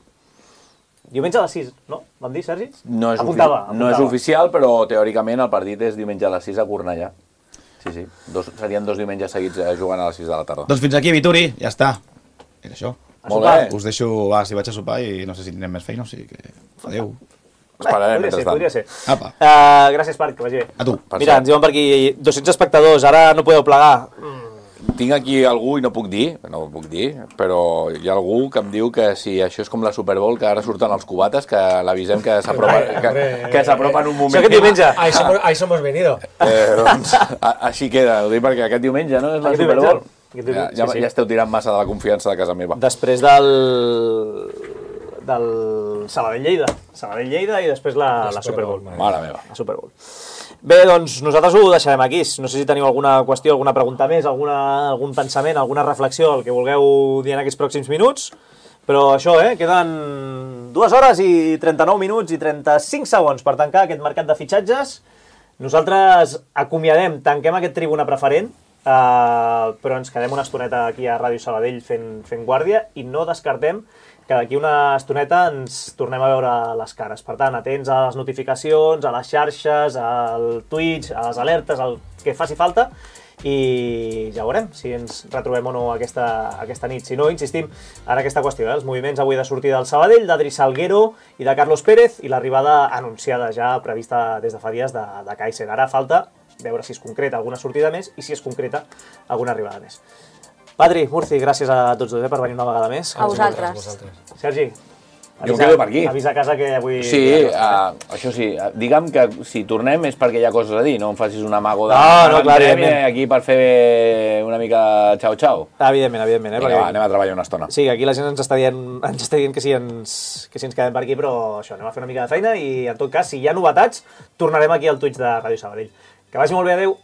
Diumenge a les sis, no? Vam dir, Sergi? No és, apuntava, apuntava. No és oficial, però teòricament el partit és diumenge a les sis a Cornellà. Sí, sí. Dos, serien dos diumenges seguits jugant a les sis de la tarda. Doncs fins aquí, Vituri, ja està. Era això. Molt bé. Us deixo, va, si vaig a sopar i no sé si tindrem més feina, o sigui que... Adéu. Esperarem, podria ser, podria ser. Apa. Uh, gràcies, Parc, que vagi bé. A tu. Mira, ens diuen per aquí dos-cents espectadors, ara no podeu plegar. Mm. Tinc aquí algú, i no puc dir, no ho puc dir, però hi ha algú que em diu que si això és com la Super Bowl, que ara surten els cubates, que l'avisem que s'apropa que, que s'apropa en un moment. Això aquest diumenge. Ahí somos, ahí somos venido. Eh, doncs, a, així queda, ho dic perquè aquest diumenge, no? És la Aquest Super diumenge. Bowl. Aquest diumenge, Ja, ja, sí, sí. ja esteu tirant massa de la confiança de casa meva. Després del... del Sabadell-Lleida. Sabadell-Lleida i després la, la, la Super Bowl. Mare meva. La Super Bowl. Bé, doncs nosaltres ho deixarem aquí. No sé si teniu alguna qüestió, alguna pregunta més, alguna, algun pensament, alguna reflexió, el que vulgueu dir en aquests pròxims minuts. Però això, eh? Queden dues hores i trenta-nou minuts i trenta-cinc segons per tancar aquest mercat de fitxatges. Nosaltres acomiadem, tanquem aquest tribuna preferent, eh, però ens quedem una estoneta aquí a Ràdio Sabadell fent, fent guàrdia i no descartem que d'aquí una estoneta ens tornem a veure les cares. Per tant, atents a les notificacions, a les xarxes, al Twitch, a les alertes, al que faci falta, i ja veurem si ens retrobem o no aquesta, aquesta nit. Si no, insistim en aquesta qüestió, eh? Els moviments avui de sortida del Sabadell, d'Adri Salguero i de Carlos Pérez, i l'arribada anunciada ja, prevista des de fa dies, de, de Kaiser. Ara falta veure si es concreta alguna sortida més i si es concreta alguna arribada més. Patri, Murci, gràcies a tots dos eh, per venir una vegada més. A vosaltres. Sergi, Jo em quedo per aquí. avisa a casa que avui... Sí, uh, això sí, uh, digue'm que si tornem és perquè hi ha coses a dir, no em facis un amago de... No, no, clar, entrem evidentment. aquí per fer una mica xau-xau. Evidentment, evidentment. Eh, Vinga, perquè... va, anem a treballar una estona. Sí, aquí la gent ens està dient, ens està dient que, sí, ens, que sí ens quedem per aquí, però això, anem a fer una mica de feina i, en tot cas, si hi ha novetats, tornarem aquí al Twitch de Ràdio Sabadell. Que vagi molt bé, adeu.